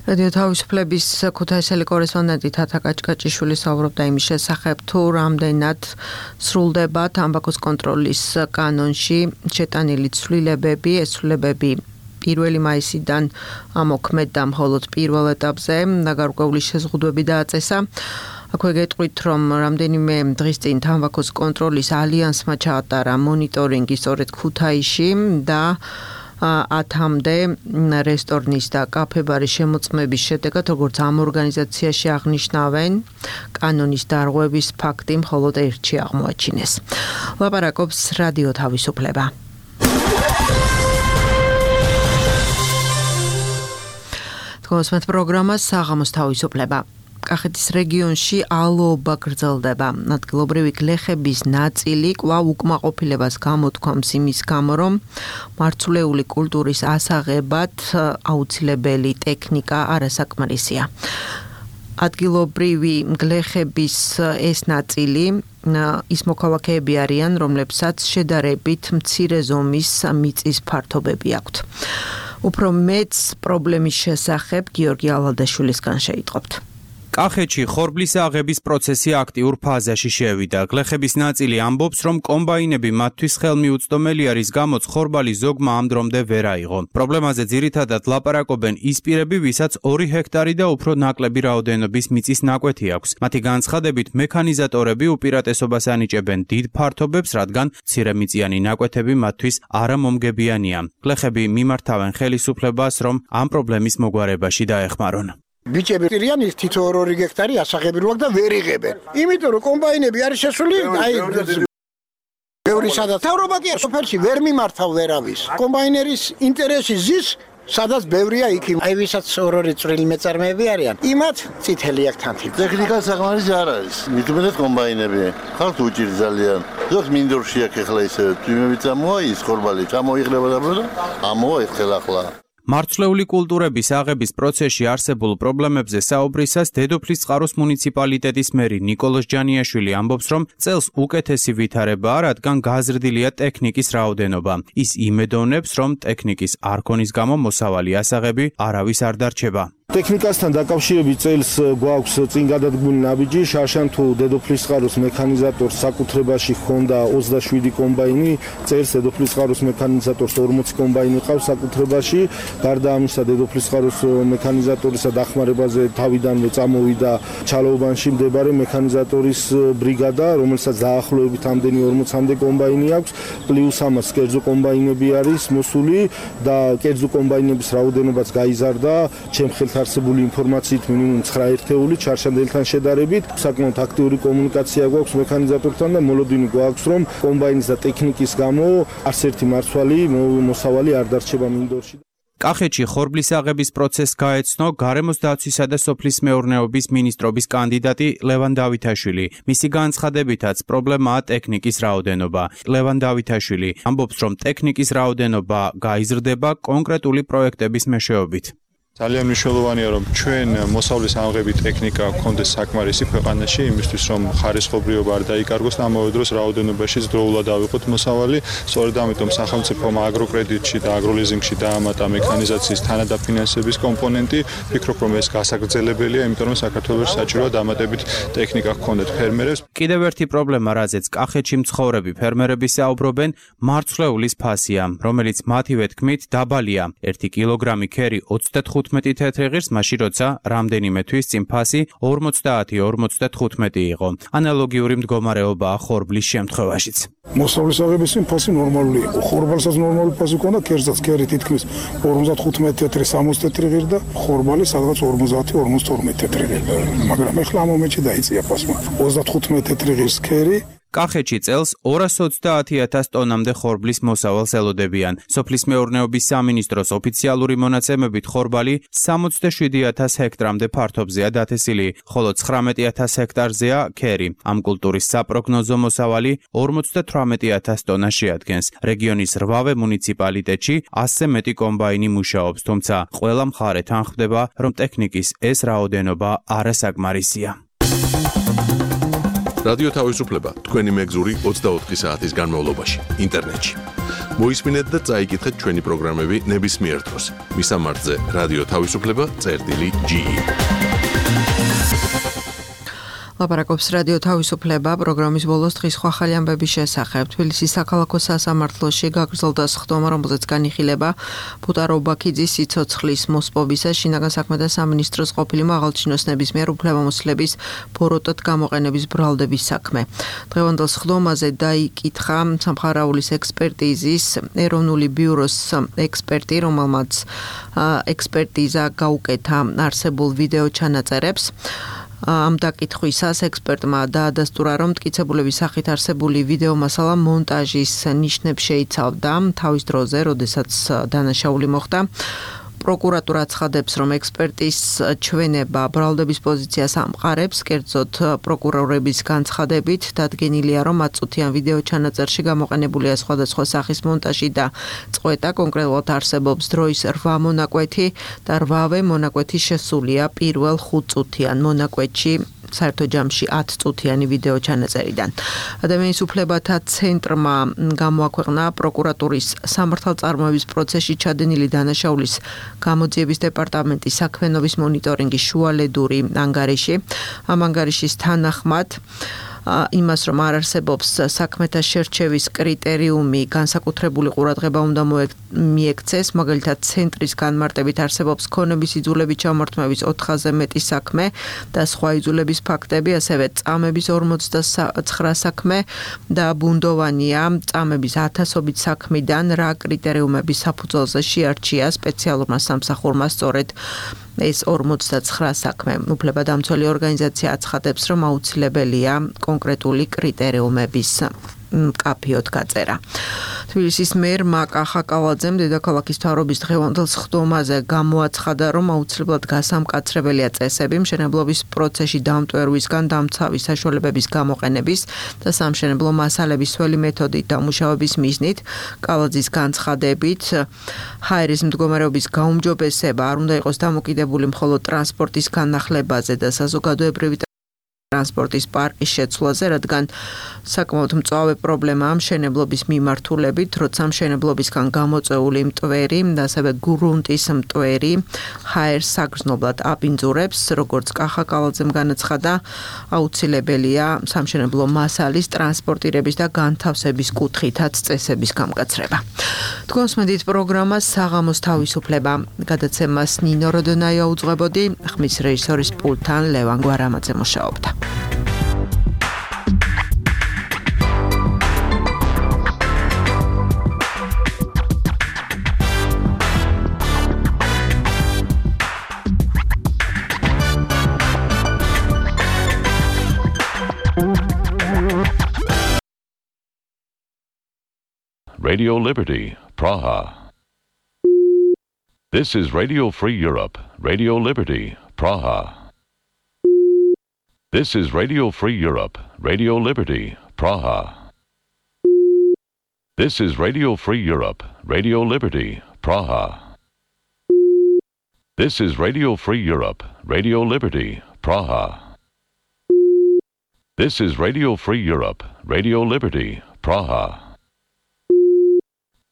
რადიო თავისუფლების ქუთაისელი კორესპონდენტი თათა კაჭკაჭიშვილი საუბრობდა იმის შესახებ, თუ რამდენად სრულდება თამბაქოს კონტროლის კანონში შეტანილი ცვლილებები, ეს ცვლილებები პირველი მაისიდან ამოქმედდა მხოლოდ პირველ ეტაპზე და გარკვეული შეზღუდვები დააწესა. აქვე გეტყვით, რომ რამდენიმე დღის წინ თამბაქოს კონტროლის ალიანსმა ჩაატარა მონიტორინგი სწორედ ქუთაისში და ათამდე რესტორნის და კაფე-ბარის შემოწმების შედეგად, როგორც ამ ორგანიზაციაში აღნიშნავენ, კანონის დარღვევის ფაქტი მხოლოდ ერთში აღმოაჩინეს. ლაპარაკობს რადიო თავისუფლება. თქოსმეთ პროგრამას საღამოს თავისუფლება. კახეთის რეგიონში ალოობა გრძელდება. ადგილობრივი გლეხების ნაწილი კვლავ უკმაყოფილებას გამოთქვამს იმის გამო, რომ მარცვლეული კულტურის ასაღებად აუცილებელი ტექნიკა არასაკმარისია. ადგილობრივი გლეხების ეს ნაწილი ის მოქალაქეები არიან, რომლებსაც შედარებით მცირე ზომის მიწის ფართობები აქვთ. უფრო მეც პრობლემის შესახებ გიორგი ალადაშვილისგან შეიტყობთ. კახეთში ხორბლის აღების პროცესი აქტიურ ფაზაში შევიდა. გლეხების ნაწილი ამბობს, რომ კომბაინები მათთვის ხელმიუწვდომელი არის, გამოც ხორბალი ზოგმა ამ დრომდე ვერ აიღო. პრობლემაზე ძირითადად ლაპარაკობენ ის პირები, ვისაც ორი ჰექტარი და უფრო ნაკლები რაოდენობის მიწის ნაკვეთი აქვს. მათი განცხადებით, მექანიზატორები უპირატესობას ანიჭებენ დიდ ფართობებს, რადგან მცირემიწიანი ნაკვეთები მათთვის არამომგებიანია. გლეხები მიმართავენ ხელისუფლებას, რომ ამ პრობლემის მოგვარებაში დაეხმარონ. ბიჭები პირიან თითო ორი ჰექტარი ასაღებრივად და ვერ იღებენ. იმიტომ რომ კომბაინები არის შესული, აი ბევრი სადაც თავრობა კი სოფელში ვერ მიმართავ ვერავის. კომბაინერის ინტერესი ზის, სადაც ბევრია იქ. აი ვისაც ორი წვრილი მეწარმეები არიან, იმათ წითელი აქვს თანთი. ტექნიკა საკმარის არ არის. მithumetet კომბაინები. ხალხ უჭირ ძალიან. ზოგ მინდორში აქ ახლა ისე თვიმები წამოა ის ხორბალი, წამოიღება და ამოა ეხლა ახლა. მარცვლეული კულტურების აღების პროცესში არსებულ პრობლემებზე საუბრისას დედოფლის წყაროს მუნიციპალიტეტის მერი ნიკოლოზ ჯანიაშვილი ამბობს, რომ წელს უკეთესი ვითარებაა, რადგან გაზრდილია ტექნიკის რაოდენობა. ის იმედოვნებს, რომ ტექნიკის არ ქონის გამო მოსავალი ასაღები არავის არ დარჩება. ტექნიკასთან დაკავშირებით წელს გვაქვს წინ გადადგმული ნაბიჯი, შარშან თუ დედოფლისწყაროს მექანიზატორს საკუთრებაში ჰქონდა ოცდაშვიდი კომბაინი, წელს დედოფლისწყაროს მექანიზატორს ორმოცი კომბაინი ყავს საკუთრებაში, გარდა ამისა დედოფლისწყაროს მექანიზატორისა დახმარებაზე თავიდანვე წამოვიდა ჩალოუბანში მდებარე მექანიზატორის ბრიგადა, რომელსაც დაახლოებით ამდენი ორმოცამდე კომბაინი აქვს, პლუს ამას კერძო კომბაინები არის მოსული და კერძო კომბაინების რაოდენობაც გაიზარდა, ჩემ არსებული ინფორმაციით მინიმუმ ცხრა ერთეული ჩარშანდელთან შედარებით საკმაოდ აქტიური კომუნიკაცია გვაქვს მექანიზატორთან და მოლოდინი გვაქვს რომ კომბაინის და ტექნიკის გამო არც ერთი მარცვალი მოსავალი არ დარჩება მინდორში. კახეთში ხორბლის აღების პროცესს გაეცნო გარემოს დაცვისა და სოფლის მეურნეობის მინისტრობის კანდიდატი ლევან დავითაშვილი. მისი განცხადებითაც პრობლემაა ტექნიკის რაოდენობა. ლევან დავითაშვილი ამბობს, რომ ტექნიკის რაოდენობა გაიზრდება კონკრეტული პროექტების მეშვეობით. ძალიან მნიშვნელოვანია რომ ჩვენ მოსავლის ამღები ტექნიკა გქონდეს საკმარისი ქვეყანაში იმისთვის რომ ხარისხობრიობა არ დაიკარგოს და ამავე დროს რაოდენობაშიც დროულად ავიღოთ მოსავალი. სწორედ ამიტომ სახელმწიფომ აგროკრედიტში და აგროლიზინგში დაამატა მექანიზაციის თანადაფინანსების კომპონენტი. ვფიქრობ რომ ეს გასაგრძელებელია, იმიტომ რომ საქართველოს საჭიროა დამატებით ტექნიკა გქონდეთ ფერმერებს. კიდევ ერთი პრობლემა, რაზეც კახეთში მცხოვრები ფერმერები საუბრობენ, მარცვლეულის ფასია, რომელიც მათივე თქმით დაბალია. ერთი კილოგრამი ქერი ოცდათხუთმეტი თეთრი ღირს, მაშინ როცა რამდენიმე თვის წინ ფასი ორმოცდაათი ორმოცდათხუთმეტი იყო. ანალოგიური მდგომარეობაა ხორბლის შემთხვევაშიც. მოსავლის აღების ფასი ნორმალური იყო. ხორბალსაც ნორმალური ფასი ჰქონდა, კერძაც ქერი თითქმის ორმოცდათხუთმეტი თეთრი სამოცი თეთრი ღირი და ხორბალი სადღაც ორმოცდაათი ორმოცდათორმეტი თეთრი ღირი. მაგრამ ეხლა ამ მომენტში დაიწია ფასმა. ოცდათხუთმეტი თეთრი ღირის ქერი კახეთში წელს ორას ოცდაათი ათას ტონამდე ხორბლის მოსავალს ელოდებიან. სოფლის მეურნეობის სამინისტროს ოფიციალური მონაცემებით ხორბალი სამოცდაშვიდი ათას ჰექტრამდე ფართობზეა დათესილი, ხოლო ცხრამეტი ათას ჰექტარზეა ქერი. ამ კულტურის საპროგნოზო მოსავალი ორმოცდათვრამეტი ათას ტონა შეადგენს. რეგიონის რვავე მუნიციპალიტეტში ასზე მეტი კომბაინი მუშაობს, თუმცა ყველა მხარე თანხმდება, რომ ტექნიკის ეს რაოდენობა არასაკმარისია. რადიო თავისუფლება თქვენი მეგზური ოცდაოთხი საათის განმავლობაში ინტერნეტში. მოისმინეთ და წაიკითხეთ ჩვენი პროგრამები ნებისმიერ დროს. მისამართზე რადიო თავისუფლება წერტილი ჯი ი. ლაპარაკობს რადიო თავისუფლება პროგრამის ბოლოს დღის სხვა ახალი ამბების შესახებ. თბილისის საქალაქო სასამართლოში გაგრძელდა სხდომა, რომელზეც განიხილება ფუტარო ბაქიძის სიცოცხლის მოსპობისა შინაგან საქმეთა სამინისტროს ყოფილი მაღალჩინოსნების მიერ უფლებამოსილების ბოროტად გამოყენების ბრალდების საქმე. დღევანდელ სხდომაზე დაიკითხა სამხარაულის ექსპერტიზის ეროვნული ბიუროს ექსპერტი, რომელმაც ექსპერტიზა გაუკეთა არსებულ ვიდეო ჩანაწერებს. ამ დაკითხვისას ექსპერტმა დაადასტურა, რომ მტკიცებულების სახით არსებული ვიდეო მასალა მონტაჟის ნიშნებს შეიცავდა თავის დროზე, როდესაც დანაშაული მოხდა. პროკურატურა ცხადებს, რომ ექსპერტის ჩვენება ბრალდების პოზიციას ამყარებს, კერძოდ პროკურორების განცხადებით დადგენილია, რომ აწუთიან ვიდეო ჩანაწერში გამოყენებულია სხვადასხვა სახის მონტაჟი და წყვეტა, კონკრეტულად არსებობს დროის რვა მონაკვეთი და რვავე მონაკვეთი შესულია პირველ ხუთწუთიან მონაკვეთში. საერთო ჯამში ათი წუთიანი ვიდეო ჩანაწერიდან. ადამიანის უფლებათა ცენტრმა გამოაქვეყნა პროკურატურის სამართალწარმოების პროცესში ჩადენილი დანაშაულის გამოძიების დეპარტამენტის საქმიანობის მონიტორინგის შუალედური ანგარიში. ამ ანგარიშის თანახმად იმას, რომ არ არსებობს საქმეთა შერჩევის კრიტერიუმი, განსაკუთრებული ყურადღება უნდა მიექცეს, მაგალითად ცენტრის განმარტებით არსებობს ქონების იძულებით ჩამორთმევის ოთხზე მეტი საქმე და სხვა იძულების ფაქტები, ასევე წამების ორმოცდაცხრა საქმე და ბუნდოვანია წამების ათასობით საქმიდან რა კრიტერიუმების საფუძველზე შეარჩია სპეციალურმა სამსახურმა სწორედ ეს ორმოცდაცხრა საქმე. უფლებადამცველი ორგანიზაცია აცხადებს, რომ აუცილებელია კონკრეტული კრიტერიუმების კაფიოდ გაწერა. თბილისის მერმა კახაკალაძემ დედაქალაქის მთავრობის დღევანდელ სხდომაზე გამოაცხადა, რომ აუცილებლად გასამკაცრებელია წესები მშენებლობის პროცესში დამტვერვისგან დამცავი საშუალებების გამოყენების და სამშენებლო მასალების სველი მეთოდით დამუშავების მიზნით. კალაძის განცხადებით, ჰაერის მდგომარეობის გაუმჯობესება არ უნდა იყოს დამოკიდებული მხოლოდ ტრანსპორტის განახლებაზე და საზოგადოებრივი ტრანსპორტის პარკის შეცვლაზე, რადგან საკმაოდ მწვავე პრობლემაა მშენებლობის მიმართულებით, როცა მშენებლობისგან გამოწეული მტვერი და ასევე გრუნტის მტვერი ჰაერს საგრძნობლად აბინძურებს, როგორც კახა კალაძემ განაცხადა, აუცილებელია სამშენებლო მასალის ტრანსპორტირების და განთავსების კუთხითაც წესების გამკაცრება. თქვენს მედით პროგრამას საღამოს თავისუფლება გადაცემას ნინო როდონაია უძღვებოდი, ხმის რეჟისორის პულტთან ლევან გვარამაძე მუშაობდა. Radio Liberty, Praha. This is Radio Free Europe, Radio Liberty, Praha. This is Radio Free Europe, Radio Liberty, Praha. This is Radio Free Europe, Radio Liberty, Praha. This is Radio Free Europe, Radio Liberty, Praha. This is Radio Free Europe, Radio Liberty, Praha.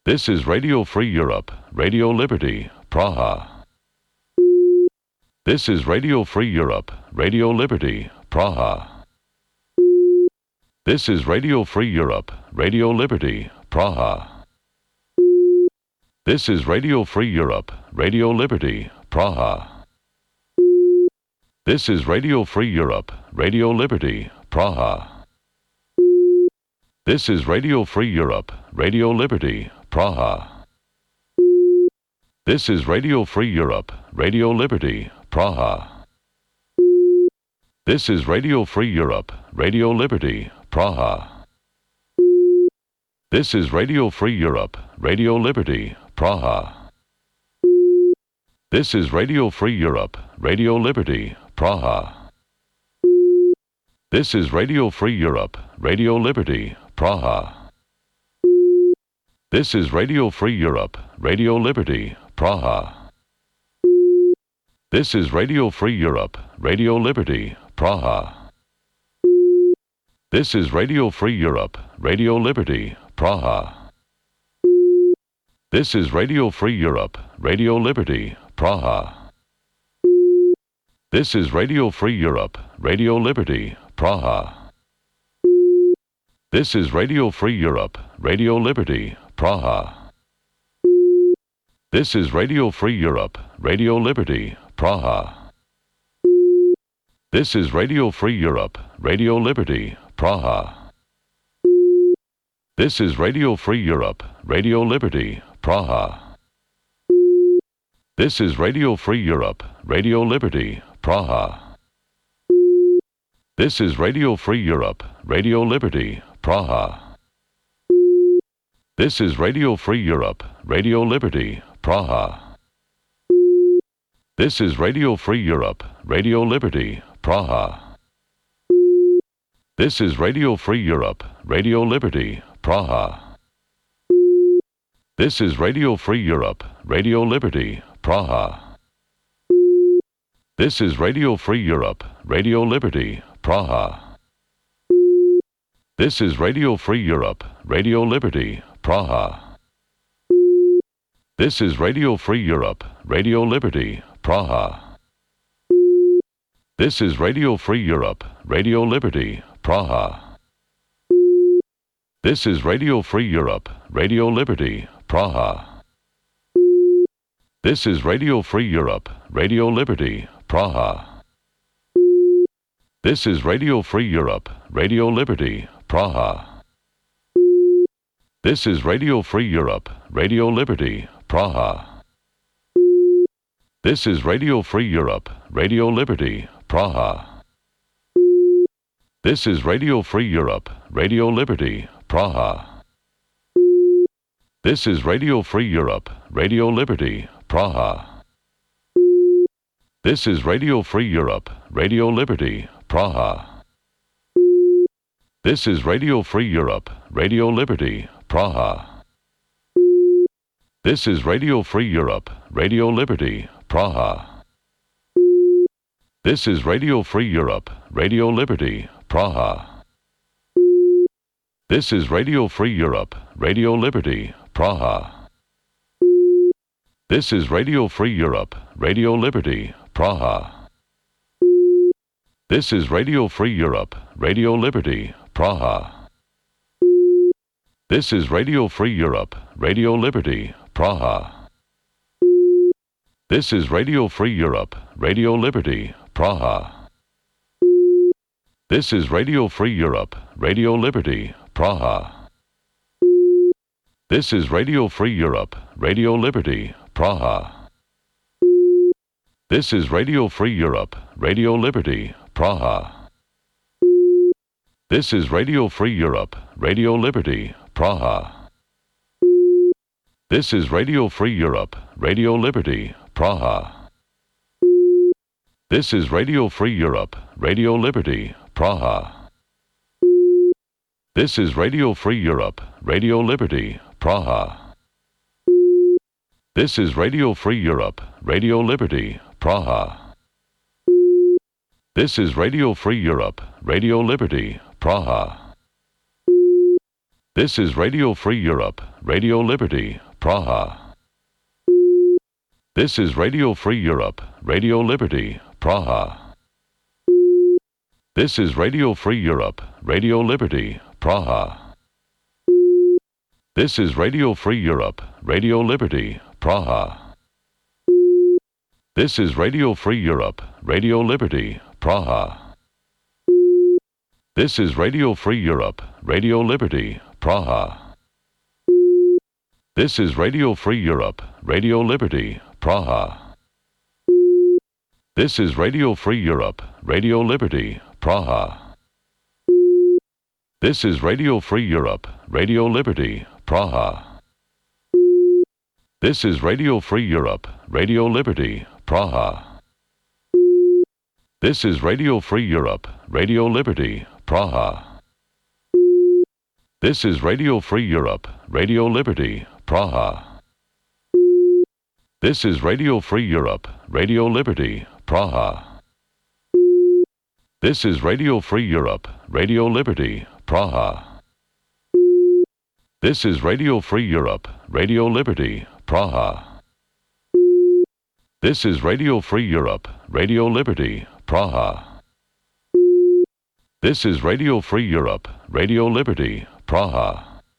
This is Radio Free Europe, Radio Liberty, Praha. This is Radio Free Europe, Radio Liberty, Praha. This is Radio Free Europe, Radio Liberty, Praha. This is Radio Free Europe, Radio Liberty, Praha. This is Radio Free Europe, Radio Liberty, Praha. This is Radio Free Europe, Radio Liberty, Praha. This is Radio Free Europe, Radio Liberty, Praha. This is Radio Free Europe, Radio Liberty, Praha. This is Radio Free Europe, Radio Liberty, Praha. This is Radio Free Europe, Radio Liberty, Praha. This is Radio Free Europe, Radio Liberty, Praha. This is Radio Free Europe, Radio Liberty, Praha. This is Radio Free Europe, Radio Liberty, Praha. This is Radio Free Europe, Radio Liberty, Praha. This is Radio Free Europe, Radio Liberty, Praha. This is Radio Free Europe, Radio Liberty, Praha. This is Radio Free Europe, Radio Liberty, Praha. This is Radio Free Europe, Radio Liberty, Praha. This is Radio Free Europe, Radio Liberty, Praha. This is Radio Free Europe, Radio Liberty, Praha. This is Radio Free Europe, Radio Liberty, Praha. This is Radio Free Europe, Radio Liberty, Praha. This is Radio Free Europe, Radio Liberty, Praha. This is Radio Free Europe, Radio Liberty, Praha. This is Radio Free Europe, Radio Liberty, Praha. This is Radio Free Europe, Radio Liberty, Praha. This is Radio Free Europe, Radio Liberty, Praha. This is Radio Free Europe, Radio Liberty, Praha. This is Radio Free Europe, Radio Liberty, Praha. This is Radio Free Europe, Radio Liberty, Praha. This is Radio Free Europe, Radio Liberty, Praha. This is Radio Free Europe, Radio Liberty, Praha. This is Radio Free Europe, Radio Liberty, Praha. This is Radio Free Europe, Radio Liberty, Praha. This is Radio Free Europe, Radio Liberty, Praha. This is Radio Free Europe, Radio Liberty, Praha. This is Radio Free Europe, Radio Liberty, Praha. This is Radio Free Europe, Radio Liberty, Praha. This is Radio Free Europe, Radio Liberty, Praha. This is Radio Free Europe, Radio Liberty, Praha. This is Radio Free Europe, Radio Liberty, Praha. This is Radio Free Europe, Radio Liberty, Praha. This is Radio Free Europe, Radio Liberty, Praha. This is Radio Free Europe, Radio Liberty, Praha. This is Radio Free Europe, Radio Liberty, Praha. This is Radio Free Europe, Radio Liberty, Praha. This is Radio Free Europe, Radio Liberty, Praha. This is Radio Free Europe, Radio Liberty, Praha. This is Radio Free Europe, Radio Liberty, Praha. This is Radio Free Europe, Radio Liberty, Praha. This is Radio Free Europe, Radio Liberty, Praha. This is Radio Free Europe, Radio Liberty, Praha. This is Radio Free Europe, Radio Liberty, Praha. This is Radio Free Europe, Radio Liberty, Praha. This is Radio Free Europe, Radio Liberty, Praha. This is Radio Free Europe, Radio Liberty, Praha. This is Radio Free Europe, Radio Liberty, Praha. This is Radio Free Europe, Radio Liberty, Praha. This is Radio Free Europe, Radio Liberty, Praha. This is Radio Free Europe, Radio Liberty, Praha. This is Radio Free Europe, Radio Liberty, Praha. This is Radio Free Europe, Radio Liberty, Praha. This is Radio Free Europe, Radio Liberty, Praha. This is Radio Free Europe, Radio Liberty, Praha. This is Radio Free Europe, Radio Liberty, Praha. This is Radio Free Europe, Radio Liberty, Praha. This is Radio Free Europe, Radio Liberty, Praha. This is Radio Free Europe, Radio Liberty, Praha. This is Radio Free Europe, Radio Liberty, Praha. This is Radio Free Europe, Radio Liberty, Praha. This is Radio Free Europe, Radio Liberty, Praha. This is Radio Free Europe, Radio Liberty, Praha.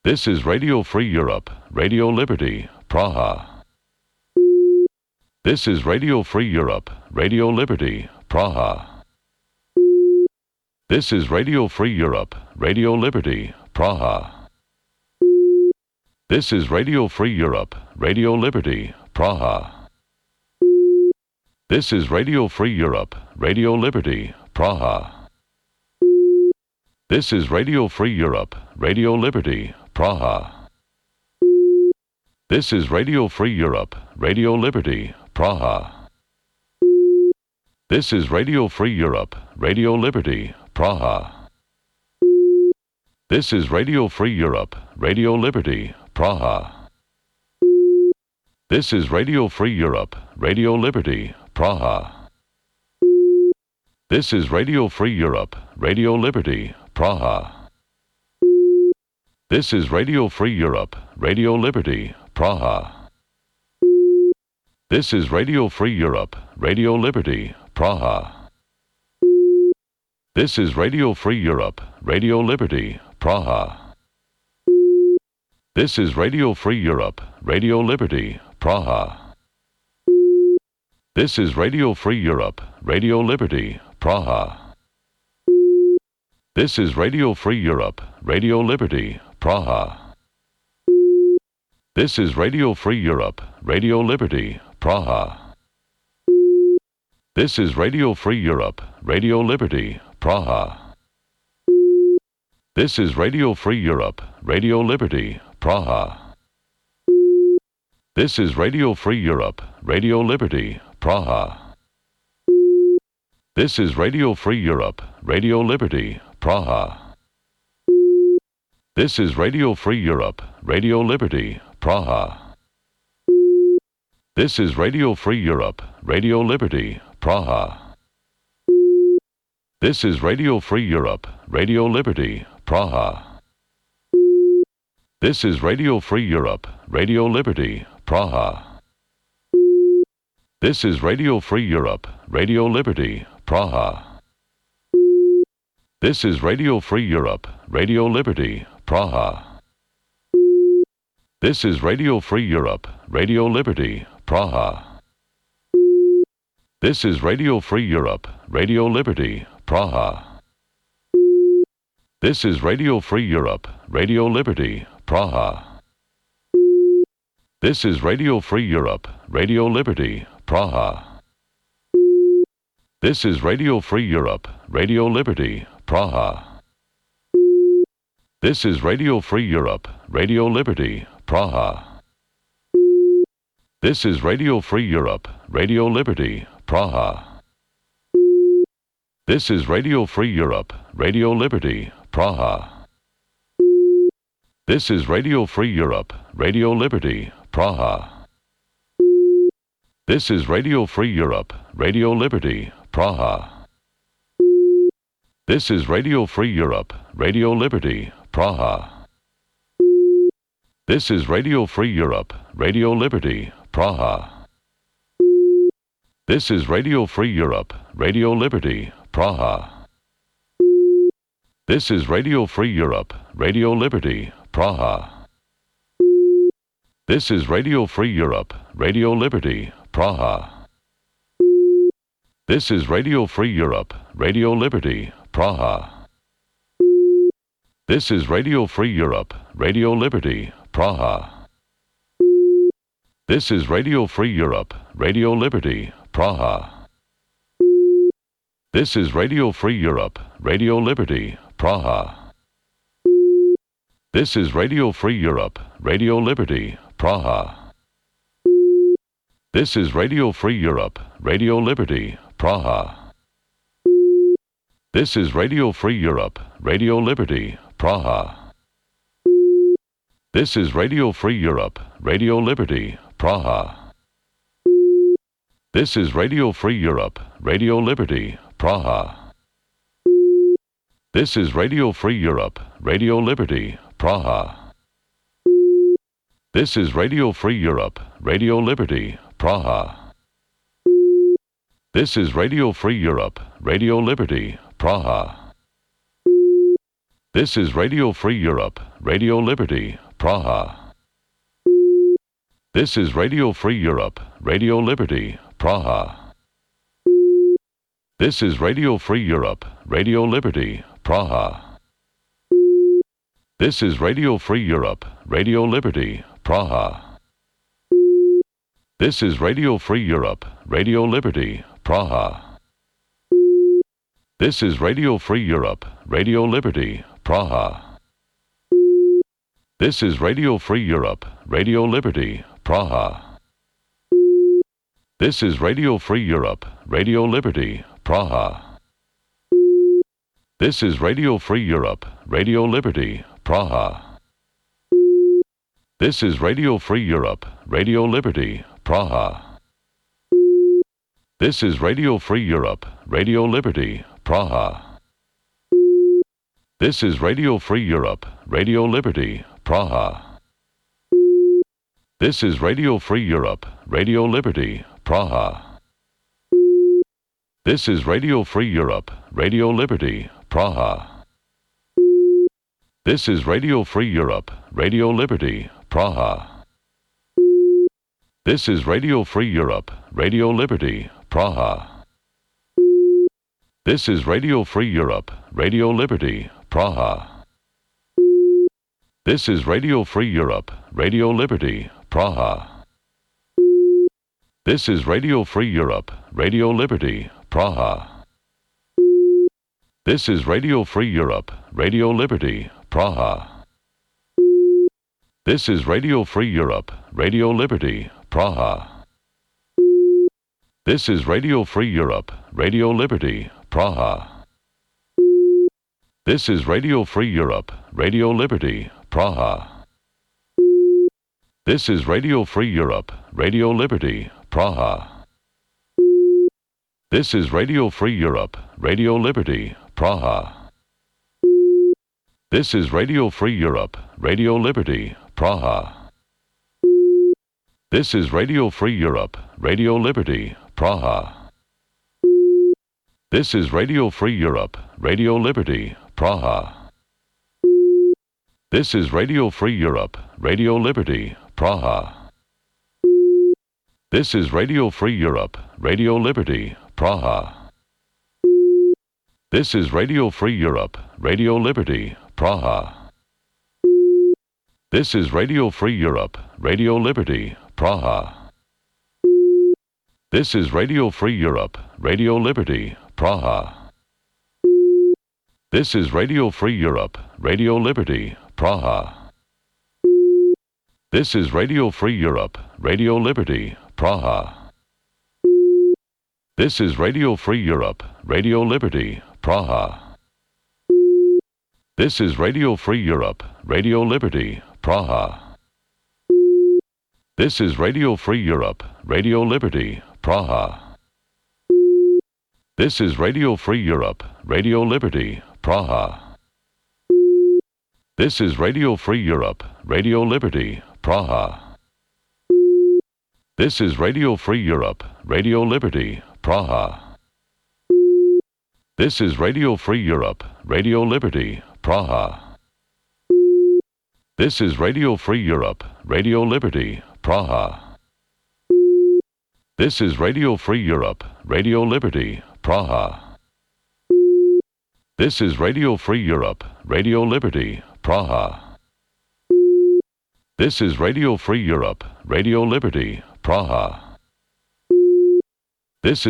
This is Radio Free Europe, Radio Liberty, Praha. This is Radio Free Europe, Radio Liberty, Praha. This is Radio Free Europe, Radio Liberty, Praha. This is Radio Free Europe, Radio Liberty, Praha. This is Radio Free Europe, Radio Liberty, Praha. This is Radio Free Europe, Radio Liberty, Praha. This is Radio Free Europe, Radio Liberty, Praha. This is Radio Free Europe, Radio Liberty, Praha. This is Radio Free Europe, Radio Liberty, Praha. This is Radio Free Europe, Radio Liberty, Praha. This is Radio Free Europe, Radio Liberty, Praha. This is Radio Free Europe, Radio Liberty, Praha. This is Radio Free Europe, Radio Liberty, Praha. This is Radio Free Europe, Radio Liberty, Praha. This is Radio Free Europe, Radio Liberty, Praha. This is Radio Free Europe, Radio Liberty, Praha. This is Radio Free Europe, Radio Liberty, Praha. This is Radio Free Europe, Radio Liberty, Praha. This is Radio Free Europe, Radio Liberty, Praha. This is Radio Free Europe, Radio Liberty, Praha. This is Radio Free Europe, Radio Liberty, Praha. This is Radio Free Europe, Radio Liberty, Praha. This is Radio Free Europe, Radio Liberty, Praha. This is Radio Free Europe, Radio Liberty, Praha. This is Radio Free Europe, Radio Liberty, Praha. This is Radio Free Europe, Radio Liberty, Praha. This is Radio Free Europe, Radio Liberty, Praha. This is Radio Free Europe, Radio Liberty, Praha. This is Radio Free Europe, Radio Liberty, Praha. This is Radio Free Europe, Radio Liberty, Praha. This is Radio Free Europe, Radio Liberty, Praha. This is Radio Free Europe, Radio Liberty, Praha. This is Radio Free Europe, Radio Liberty, Praha. This is Radio Free Europe, Radio Liberty, Praha. This is Radio Free Europe, Radio Liberty, Praha. This is Radio Free Europe, Radio Liberty, Praha. This is Radio Free Europe, Radio Liberty, Praha. This is Radio Free Europe, Radio Liberty, Praha. This is Radio Free Europe, Radio Liberty, Praha. This is Radio Free Europe, Radio Liberty, Praha. This is Radio Free Europe, Radio Liberty, Praha. This is Radio Free Europe, Radio Liberty, Praha. This is Radio Free Europe, Radio Liberty, Praha. This is Radio Free Europe, Radio Liberty, Praha. This is Radio Free Europe, Radio Liberty, Praha. This is Radio Free Europe, Radio Liberty, Praha. This is Radio Free Europe, Radio Liberty, Praha. This is Radio Free Europe, Radio Liberty, Praha. This is Radio Free Europe, Radio Liberty, Praha. This is Radio Free Europe, Radio Liberty, Praha. This is Radio Free Europe, Radio Liberty, Praha. This is Radio Free Europe, Radio Liberty, Praha. This is Radio Free Europe, Radio Liberty, Praha. This is Radio Free Europe, Radio Liberty, Praha. This is Radio Free Europe, Radio Liberty, Praha. This is Radio Free Europe, Radio Liberty, Praha. This is Radio Free Europe, Radio Liberty, Praha. This is Radio Free Europe, Radio Liberty, Praha. This is Radio Free Europe, Radio Liberty, Praha. This is Radio Free Europe, Radio Liberty, Praha. This is Radio Free Europe, Radio Liberty, Praha. This is Radio Free Europe, Radio Liberty, Praha. This is Radio Free Europe, Radio Liberty, Praha. This is Radio Free Europe, Radio Liberty, Praha. This is Radio Free Europe, Radio Liberty, Praha. This is Radio Free Europe, Radio Liberty, Praha. This is Radio Free Europe, Radio Liberty, Praha. This is Radio Free Europe, Radio Liberty, Praha. This is Radio Free Europe, Radio Liberty, Praha. This is Radio Free Europe, Radio Liberty, Praha. This is Radio Free Europe, Radio Liberty, Praha. This is Radio Free Europe, Radio Liberty, Praha. This is Radio Free Europe, Radio Liberty, Praha. This is Radio Free Europe, Radio Liberty, Praha. This is Radio Free Europe, Radio Liberty, Praha. This is Radio Free Europe, Radio Liberty, Praha. This is Radio Free Europe, Radio Liberty, Praha. This is Radio Free Europe, Radio Liberty, Praha. This is Radio Free Europe, Radio Liberty, Praha. This is Radio Free Europe, Radio Liberty, Praha. This is Radio Free Europe, Radio Liberty, Praha. This is Radio Free Europe, Radio Liberty, Praha. This is Radio Free Europe, Radio Liberty, Praha. This is Radio Free Europe, Radio Liberty, Praha. This is Radio Free Europe, Radio Liberty, Praha. This is Radio Free Europe, Radio Liberty, Praha. This is Radio Free Europe, Radio Liberty, Praha. This is Radio Free Europe, Radio Liberty, Praha. This is Radio Free Europe, Radio Liberty, Praha. This is Radio Free Europe, Radio Liberty, Praha. This is Radio Free Europe, Radio Liberty, Praha. This is Radio Free Europe, Radio Liberty, Praha. This is Radio Free Europe, Radio Liberty, Praha. This is Radio Free Europe, Radio Liberty, Praha. This is Radio Free Europe, Radio Liberty, Praha. This is Radio Free Europe, Radio Liberty, Praha. This is Radio Free Europe, Radio Liberty, Praha. This is Radio Free Europe, Radio Liberty, Praha. This is Radio Free Europe, Radio Liberty, Praha. This is Radio Free Europe, Radio Liberty, Praha. This is Radio Free Europe, Radio Liberty, Praha. This is Radio Free Europe, Radio Liberty, Praha. This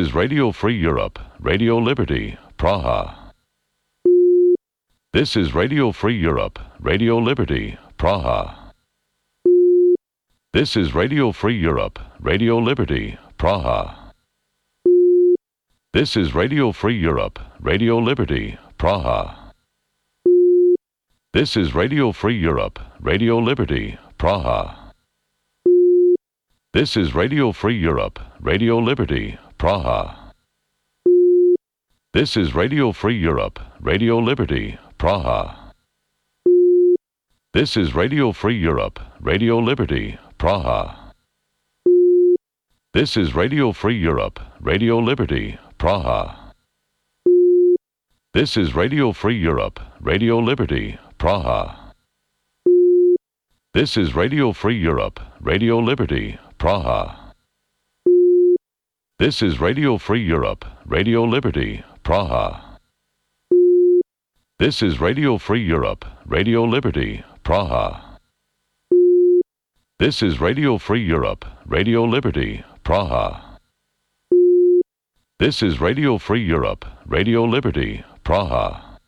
is Radio Free Europe, Radio Liberty, Praha. This is Radio Free Europe, Radio Liberty, Praha. This is Radio Free Europe, Radio Liberty, Praha. This is Radio Free Europe, Radio Liberty, Praha. This is Radio Free Europe, Radio Liberty, Praha. This is Radio Free Europe, Radio Liberty, Praha. This is Radio Free Europe, Radio Liberty, Praha. This is Radio Free Europe, Radio Liberty, Praha. This is Radio Free Europe, Radio Liberty, Praha. This is Radio Free Europe, Radio Liberty, Praha. This is Radio Free Europe, Radio Liberty, Praha. This is Radio Free Europe, Radio Liberty, Praha. This is Radio Free Europe, Radio Liberty, Praha. This is Radio Free Europe, Radio Liberty, Praha.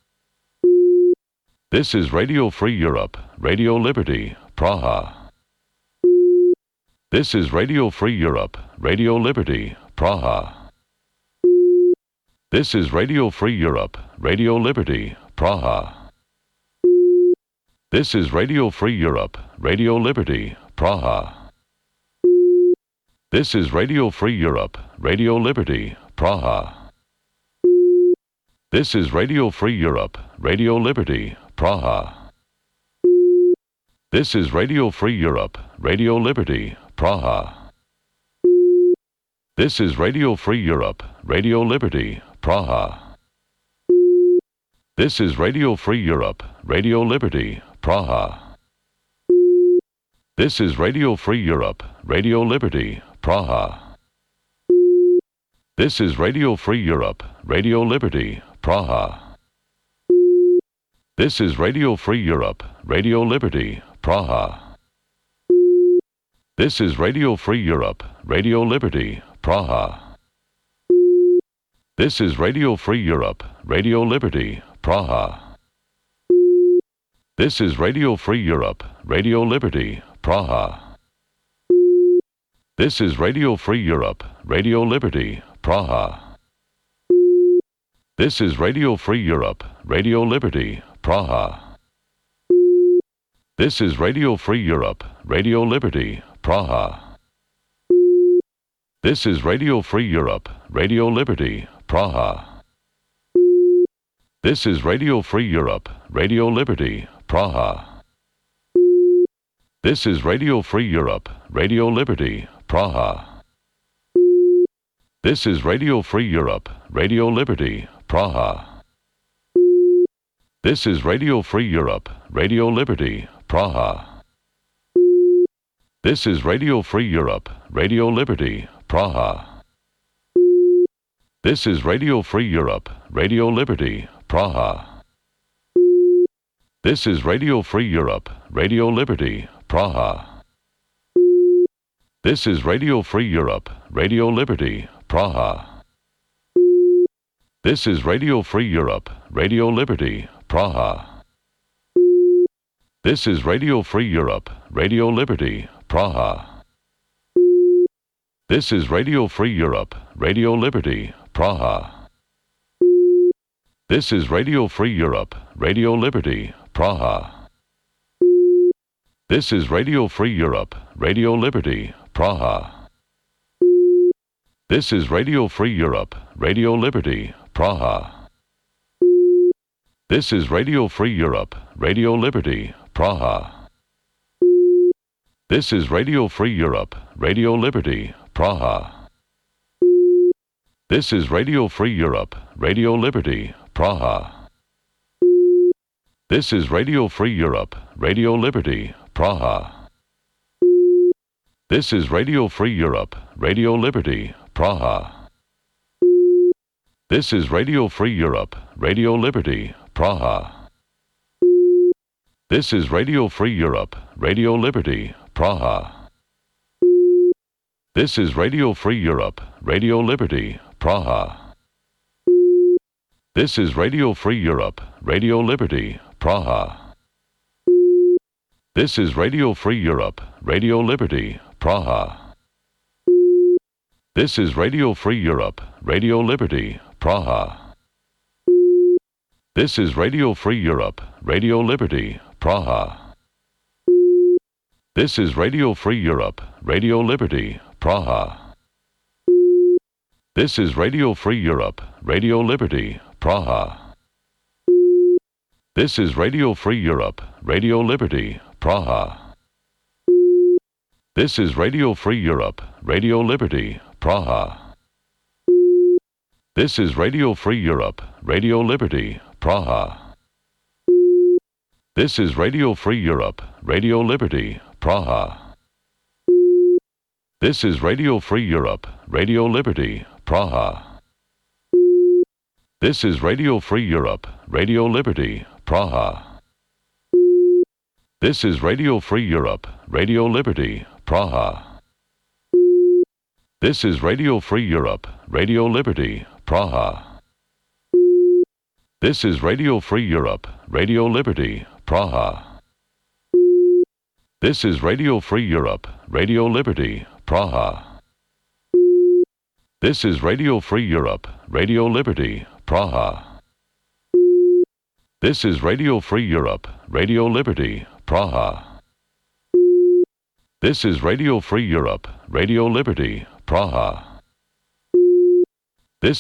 This is Radio Free Europe, Radio Liberty, Praha. This is Radio Free Europe, Radio Liberty, Praha. This is Radio Free Europe, Radio Liberty, Praha. This is Radio Free Europe, Radio Liberty, Praha. This is Radio Free Europe, Radio Liberty, Praha. This is Radio Free Europe, Radio Liberty, Praha. This is Radio Free Europe, Radio Liberty, Praha. This is Radio Free Europe, Radio Liberty, Praha. This is Radio Free Europe, Radio Liberty, Praha. This is Radio Free Europe, Radio Liberty, Praha. This is Radio Free Europe, Radio Liberty, Praha. This is Radio Free Europe, Radio Liberty, Praha. This is Radio Free Europe, Radio Liberty, Praha. This is Radio Free Europe, Radio Liberty, Praha. This is Radio Free Europe, Radio Liberty, Praha. This is Radio Free Europe, Radio Liberty, Praha. This is Radio Free Europe, Radio Liberty, Praha. This is Radio Free Europe, Radio Liberty, Praha. This is Radio Free Europe, Radio Liberty, Praha. This is Radio Free Europe, Radio Liberty, Praha. This is Radio Free Europe, Radio Liberty, Praha. This is Radio Free Europe, Radio Liberty, Praha. This is Radio Free Europe, Radio Liberty, Praha. This is Radio Free Europe, Radio Liberty, Praha. This is Radio Free Europe, Radio Liberty, Praha. This is Radio Free Europe, Radio Liberty, Praha. This is Radio Free Europe, Radio Liberty, Praha. This is Radio Free Europe, Radio Liberty, Praha. This is Radio Free Europe, Radio Liberty, Praha. This is Radio Free Europe, Radio Liberty, Praha. This is Radio Free Europe, Radio Liberty, Praha. This is Radio Free Europe, Radio Liberty, Praha. This is Radio Free Europe, Radio Liberty, Praha. This is Radio Free Europe, Radio Liberty, Praha. This is Radio Free Europe, Radio Liberty, Praha. This is Radio Free Europe, Radio Liberty, Praha. This is Radio Free Europe, Radio Liberty, Praha. This is Radio Free Europe, Radio Liberty, Praha. This is Radio Free Europe, Radio Liberty, Praha. This is Radio Free Europe, Radio Liberty, Praha. This is Radio Free Europe, Radio Liberty, Praha. This is Radio Free Europe, Radio Liberty, Praha. This is Radio Free Europe, Radio Liberty, Praha. This is Radio Free Europe, Radio Liberty, Praha. This is Radio Free Europe, Radio Liberty, Praha. This is Radio Free Europe, Radio Liberty, Praha. This is Radio Free Europe, Radio Liberty, Praha. This is Radio Free Europe, Radio Liberty, Praha. This is Radio Free Europe, Radio Liberty, Praha. This is Radio Free Europe, Radio Liberty, Praha. This is Radio Free Europe, Radio Liberty, Praha. This is Radio Free Europe, Radio Liberty, Praha. This is Radio Free Europe, Radio Liberty, Praha. This is Radio Free Europe, Radio Liberty, Praha. This is Radio Free Europe, Radio Liberty, Praha. This is Radio Free Europe, Radio Liberty, Praha. This is Radio Free Europe, Radio Liberty, Praha. This is Radio Free Europe, Radio Liberty, Praha. This is Radio Free Europe, Radio Liberty, Praha. This is Radio Free Europe, Radio Liberty, Praha.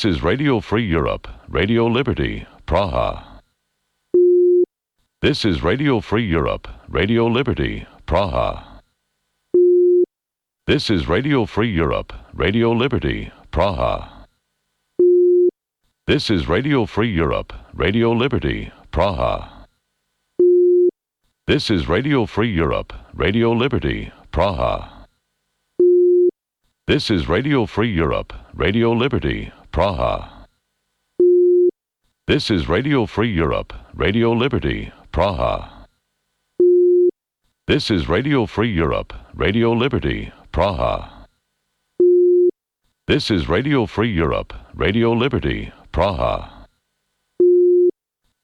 This is Radio Free Europe, Radio Liberty, Praha. This is Radio Free Europe, Radio Liberty, Praha. This is Radio Free Europe, Radio Liberty, Praha. This is Radio Free Europe, Radio Liberty, Praha. This is Radio Free Europe, Radio Liberty, Praha. This is Radio Free Europe, Radio Liberty, Praha. This is Radio Free Europe, Radio Liberty, Praha. This is Radio Free Europe, Radio Liberty, Praha. This is Radio Free Europe, Radio Liberty, Praha.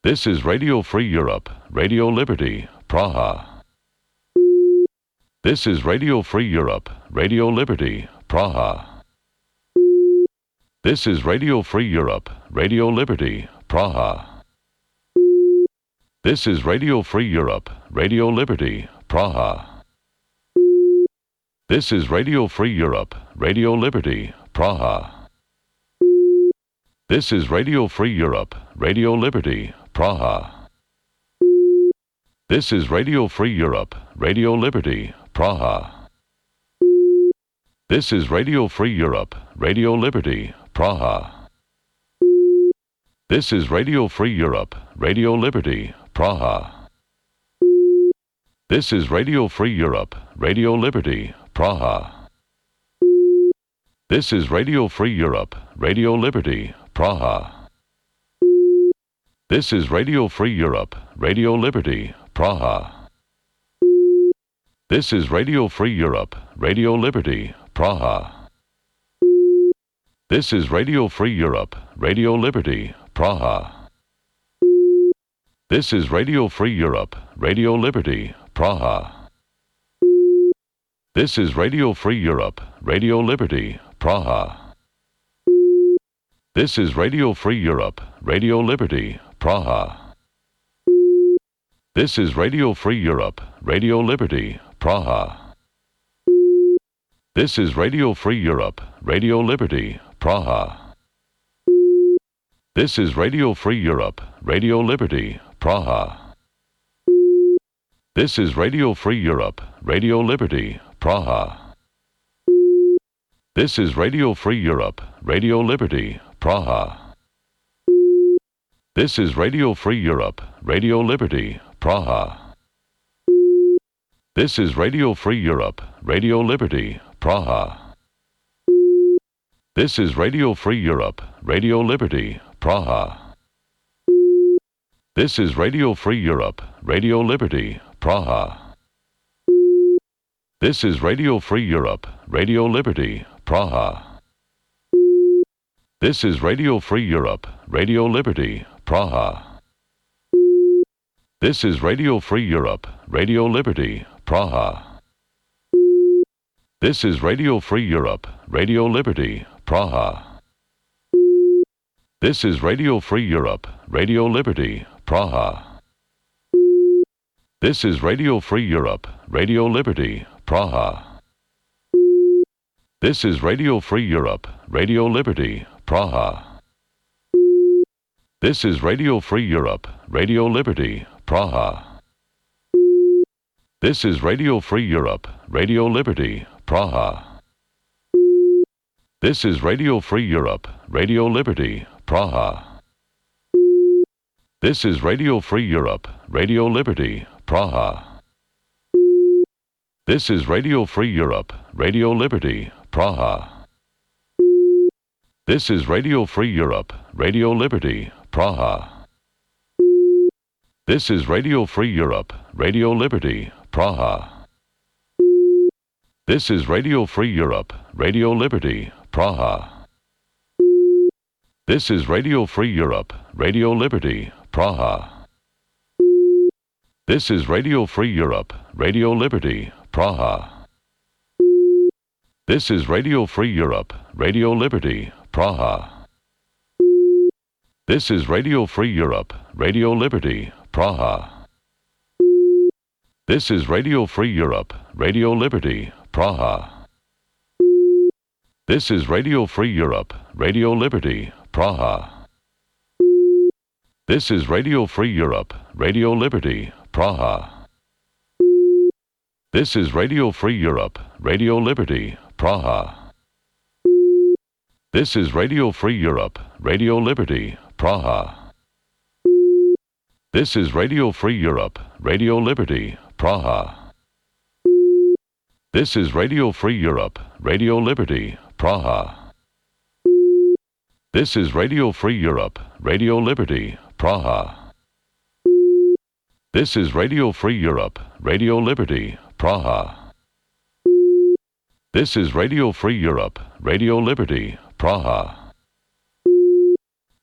This is Radio Free Europe, Radio Liberty, Praha. This is Radio Free Europe, Radio Liberty, Praha. This is Radio Free Europe, Radio Liberty, Praha. This is Radio Free Europe, Radio Liberty, Praha. This is Radio Free Europe, Radio Liberty, Praha. This is Radio Free Europe, Radio Liberty, Praha. This is Radio Free Europe, Radio Liberty, Praha. This is Radio Free Europe, Radio Liberty, Praha. This is Radio Free Europe, Radio Liberty, Praha. This is Radio Free Europe, Radio Liberty, Praha. This is Radio Free Europe, Radio Liberty, Praha. This is Radio Free Europe, Radio Liberty, Praha. This is Radio Free Europe, Radio Liberty, Praha. This is Radio Free Europe, Radio Liberty, Praha. This is Radio Free Europe, Radio Liberty, Praha. This is Radio Free Europe, Radio Liberty, Praha. This is Radio Free Europe, Radio Liberty, Praha. This is Radio Free Europe, Radio Liberty, Praha. This is Radio Free Europe, Radio Liberty, Praha. This is Radio Free Europe, Radio Liberty, Praha. This is Radio Free Europe, Radio Liberty, Praha. This is Radio Free Europe, Radio Liberty, Praha. This is Radio Free Europe, Radio Liberty, Praha. This is Radio Free Europe, Radio Liberty, Praha. This is Radio Free Europe, Radio Liberty, Praha. This is Radio Free Europe, Radio Liberty, Praha. This is Radio Free Europe, Radio Liberty, Praha. This is Radio Free Europe, Radio Liberty, Praha. This is Radio Free Europe, Radio Liberty, Praha. This is Radio Free Europe, Radio Liberty, Praha. This is Radio Free Europe, Radio Liberty, Praha. This is Radio Free Europe, Radio Liberty, Praha. This is Radio Free Europe, Radio Liberty, Praha. This is Radio Free Europe, Radio Liberty, Praha. This is Radio Free Europe, Radio Liberty, Praha. This is Radio Free Europe, Radio Liberty, Praha. This is Radio Free Europe, Radio Liberty, Praha. This is Radio Free Europe, Radio Liberty, Praha. This is Radio Free Europe, Radio Liberty, Praha. This is Radio Free Europe, Radio Liberty, Praha. This is Radio Free Europe, Radio Liberty, Praha. This is Radio Free Europe, Radio Liberty, Praha. This is Radio Free Europe, Radio Liberty, Praha. This is Radio Free Europe, Radio Liberty, Praha. This is Radio Free Europe, Radio Liberty, Praha. This is Radio Free Europe, Radio Liberty, Praha. This is Radio Free Europe, Radio Liberty, Praha. This is Radio Free Europe, Radio Liberty, Praha. This is Radio Free Europe, Radio Liberty, Praha. This is Radio Free Europe, Radio Liberty, Praha. This is Radio Free Europe, Radio Liberty, Praha. This is Radio Free Europe, Radio Liberty, Praha. This is Radio Free Europe, Radio Liberty, Praha. This is Radio Free Europe, Radio Liberty, Praha. This is Radio Free Europe, Radio Liberty, Praha.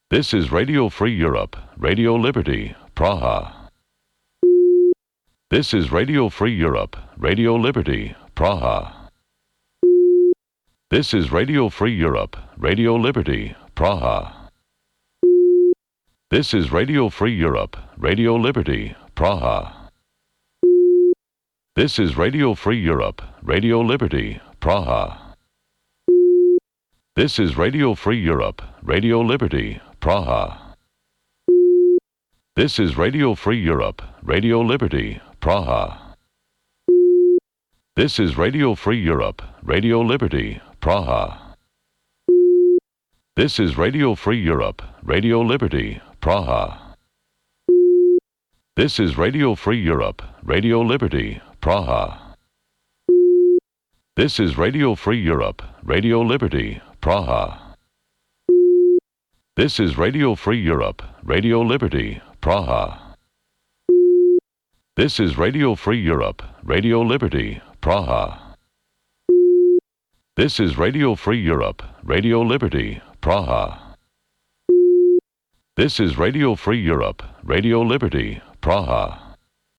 This is Radio Free Europe, Radio Liberty, Praha. This is Radio Free Europe, Radio Liberty, Praha. This is Radio Free Europe, Radio Liberty, Praha. This is Radio Free Europe, Radio Liberty, Praha. This is Radio Free Europe, Radio Liberty, Praha. This is Radio Free Europe, Radio Liberty, Praha. This is Radio Free Europe, Radio Liberty, Praha. This is Radio Free Europe, Radio Liberty, Praha. This is Radio Free Europe, Radio Liberty, Praha. This is Radio Free Europe, Radio Liberty, Praha. This is Radio Free Europe, Radio Liberty, Praha. This is Radio Free Europe, Radio Liberty, Praha. This is Radio Free Europe, Radio Liberty, Praha. This is Radio Free Europe, Radio Liberty, Praha. This is Radio Free Europe, Radio Liberty, Praha.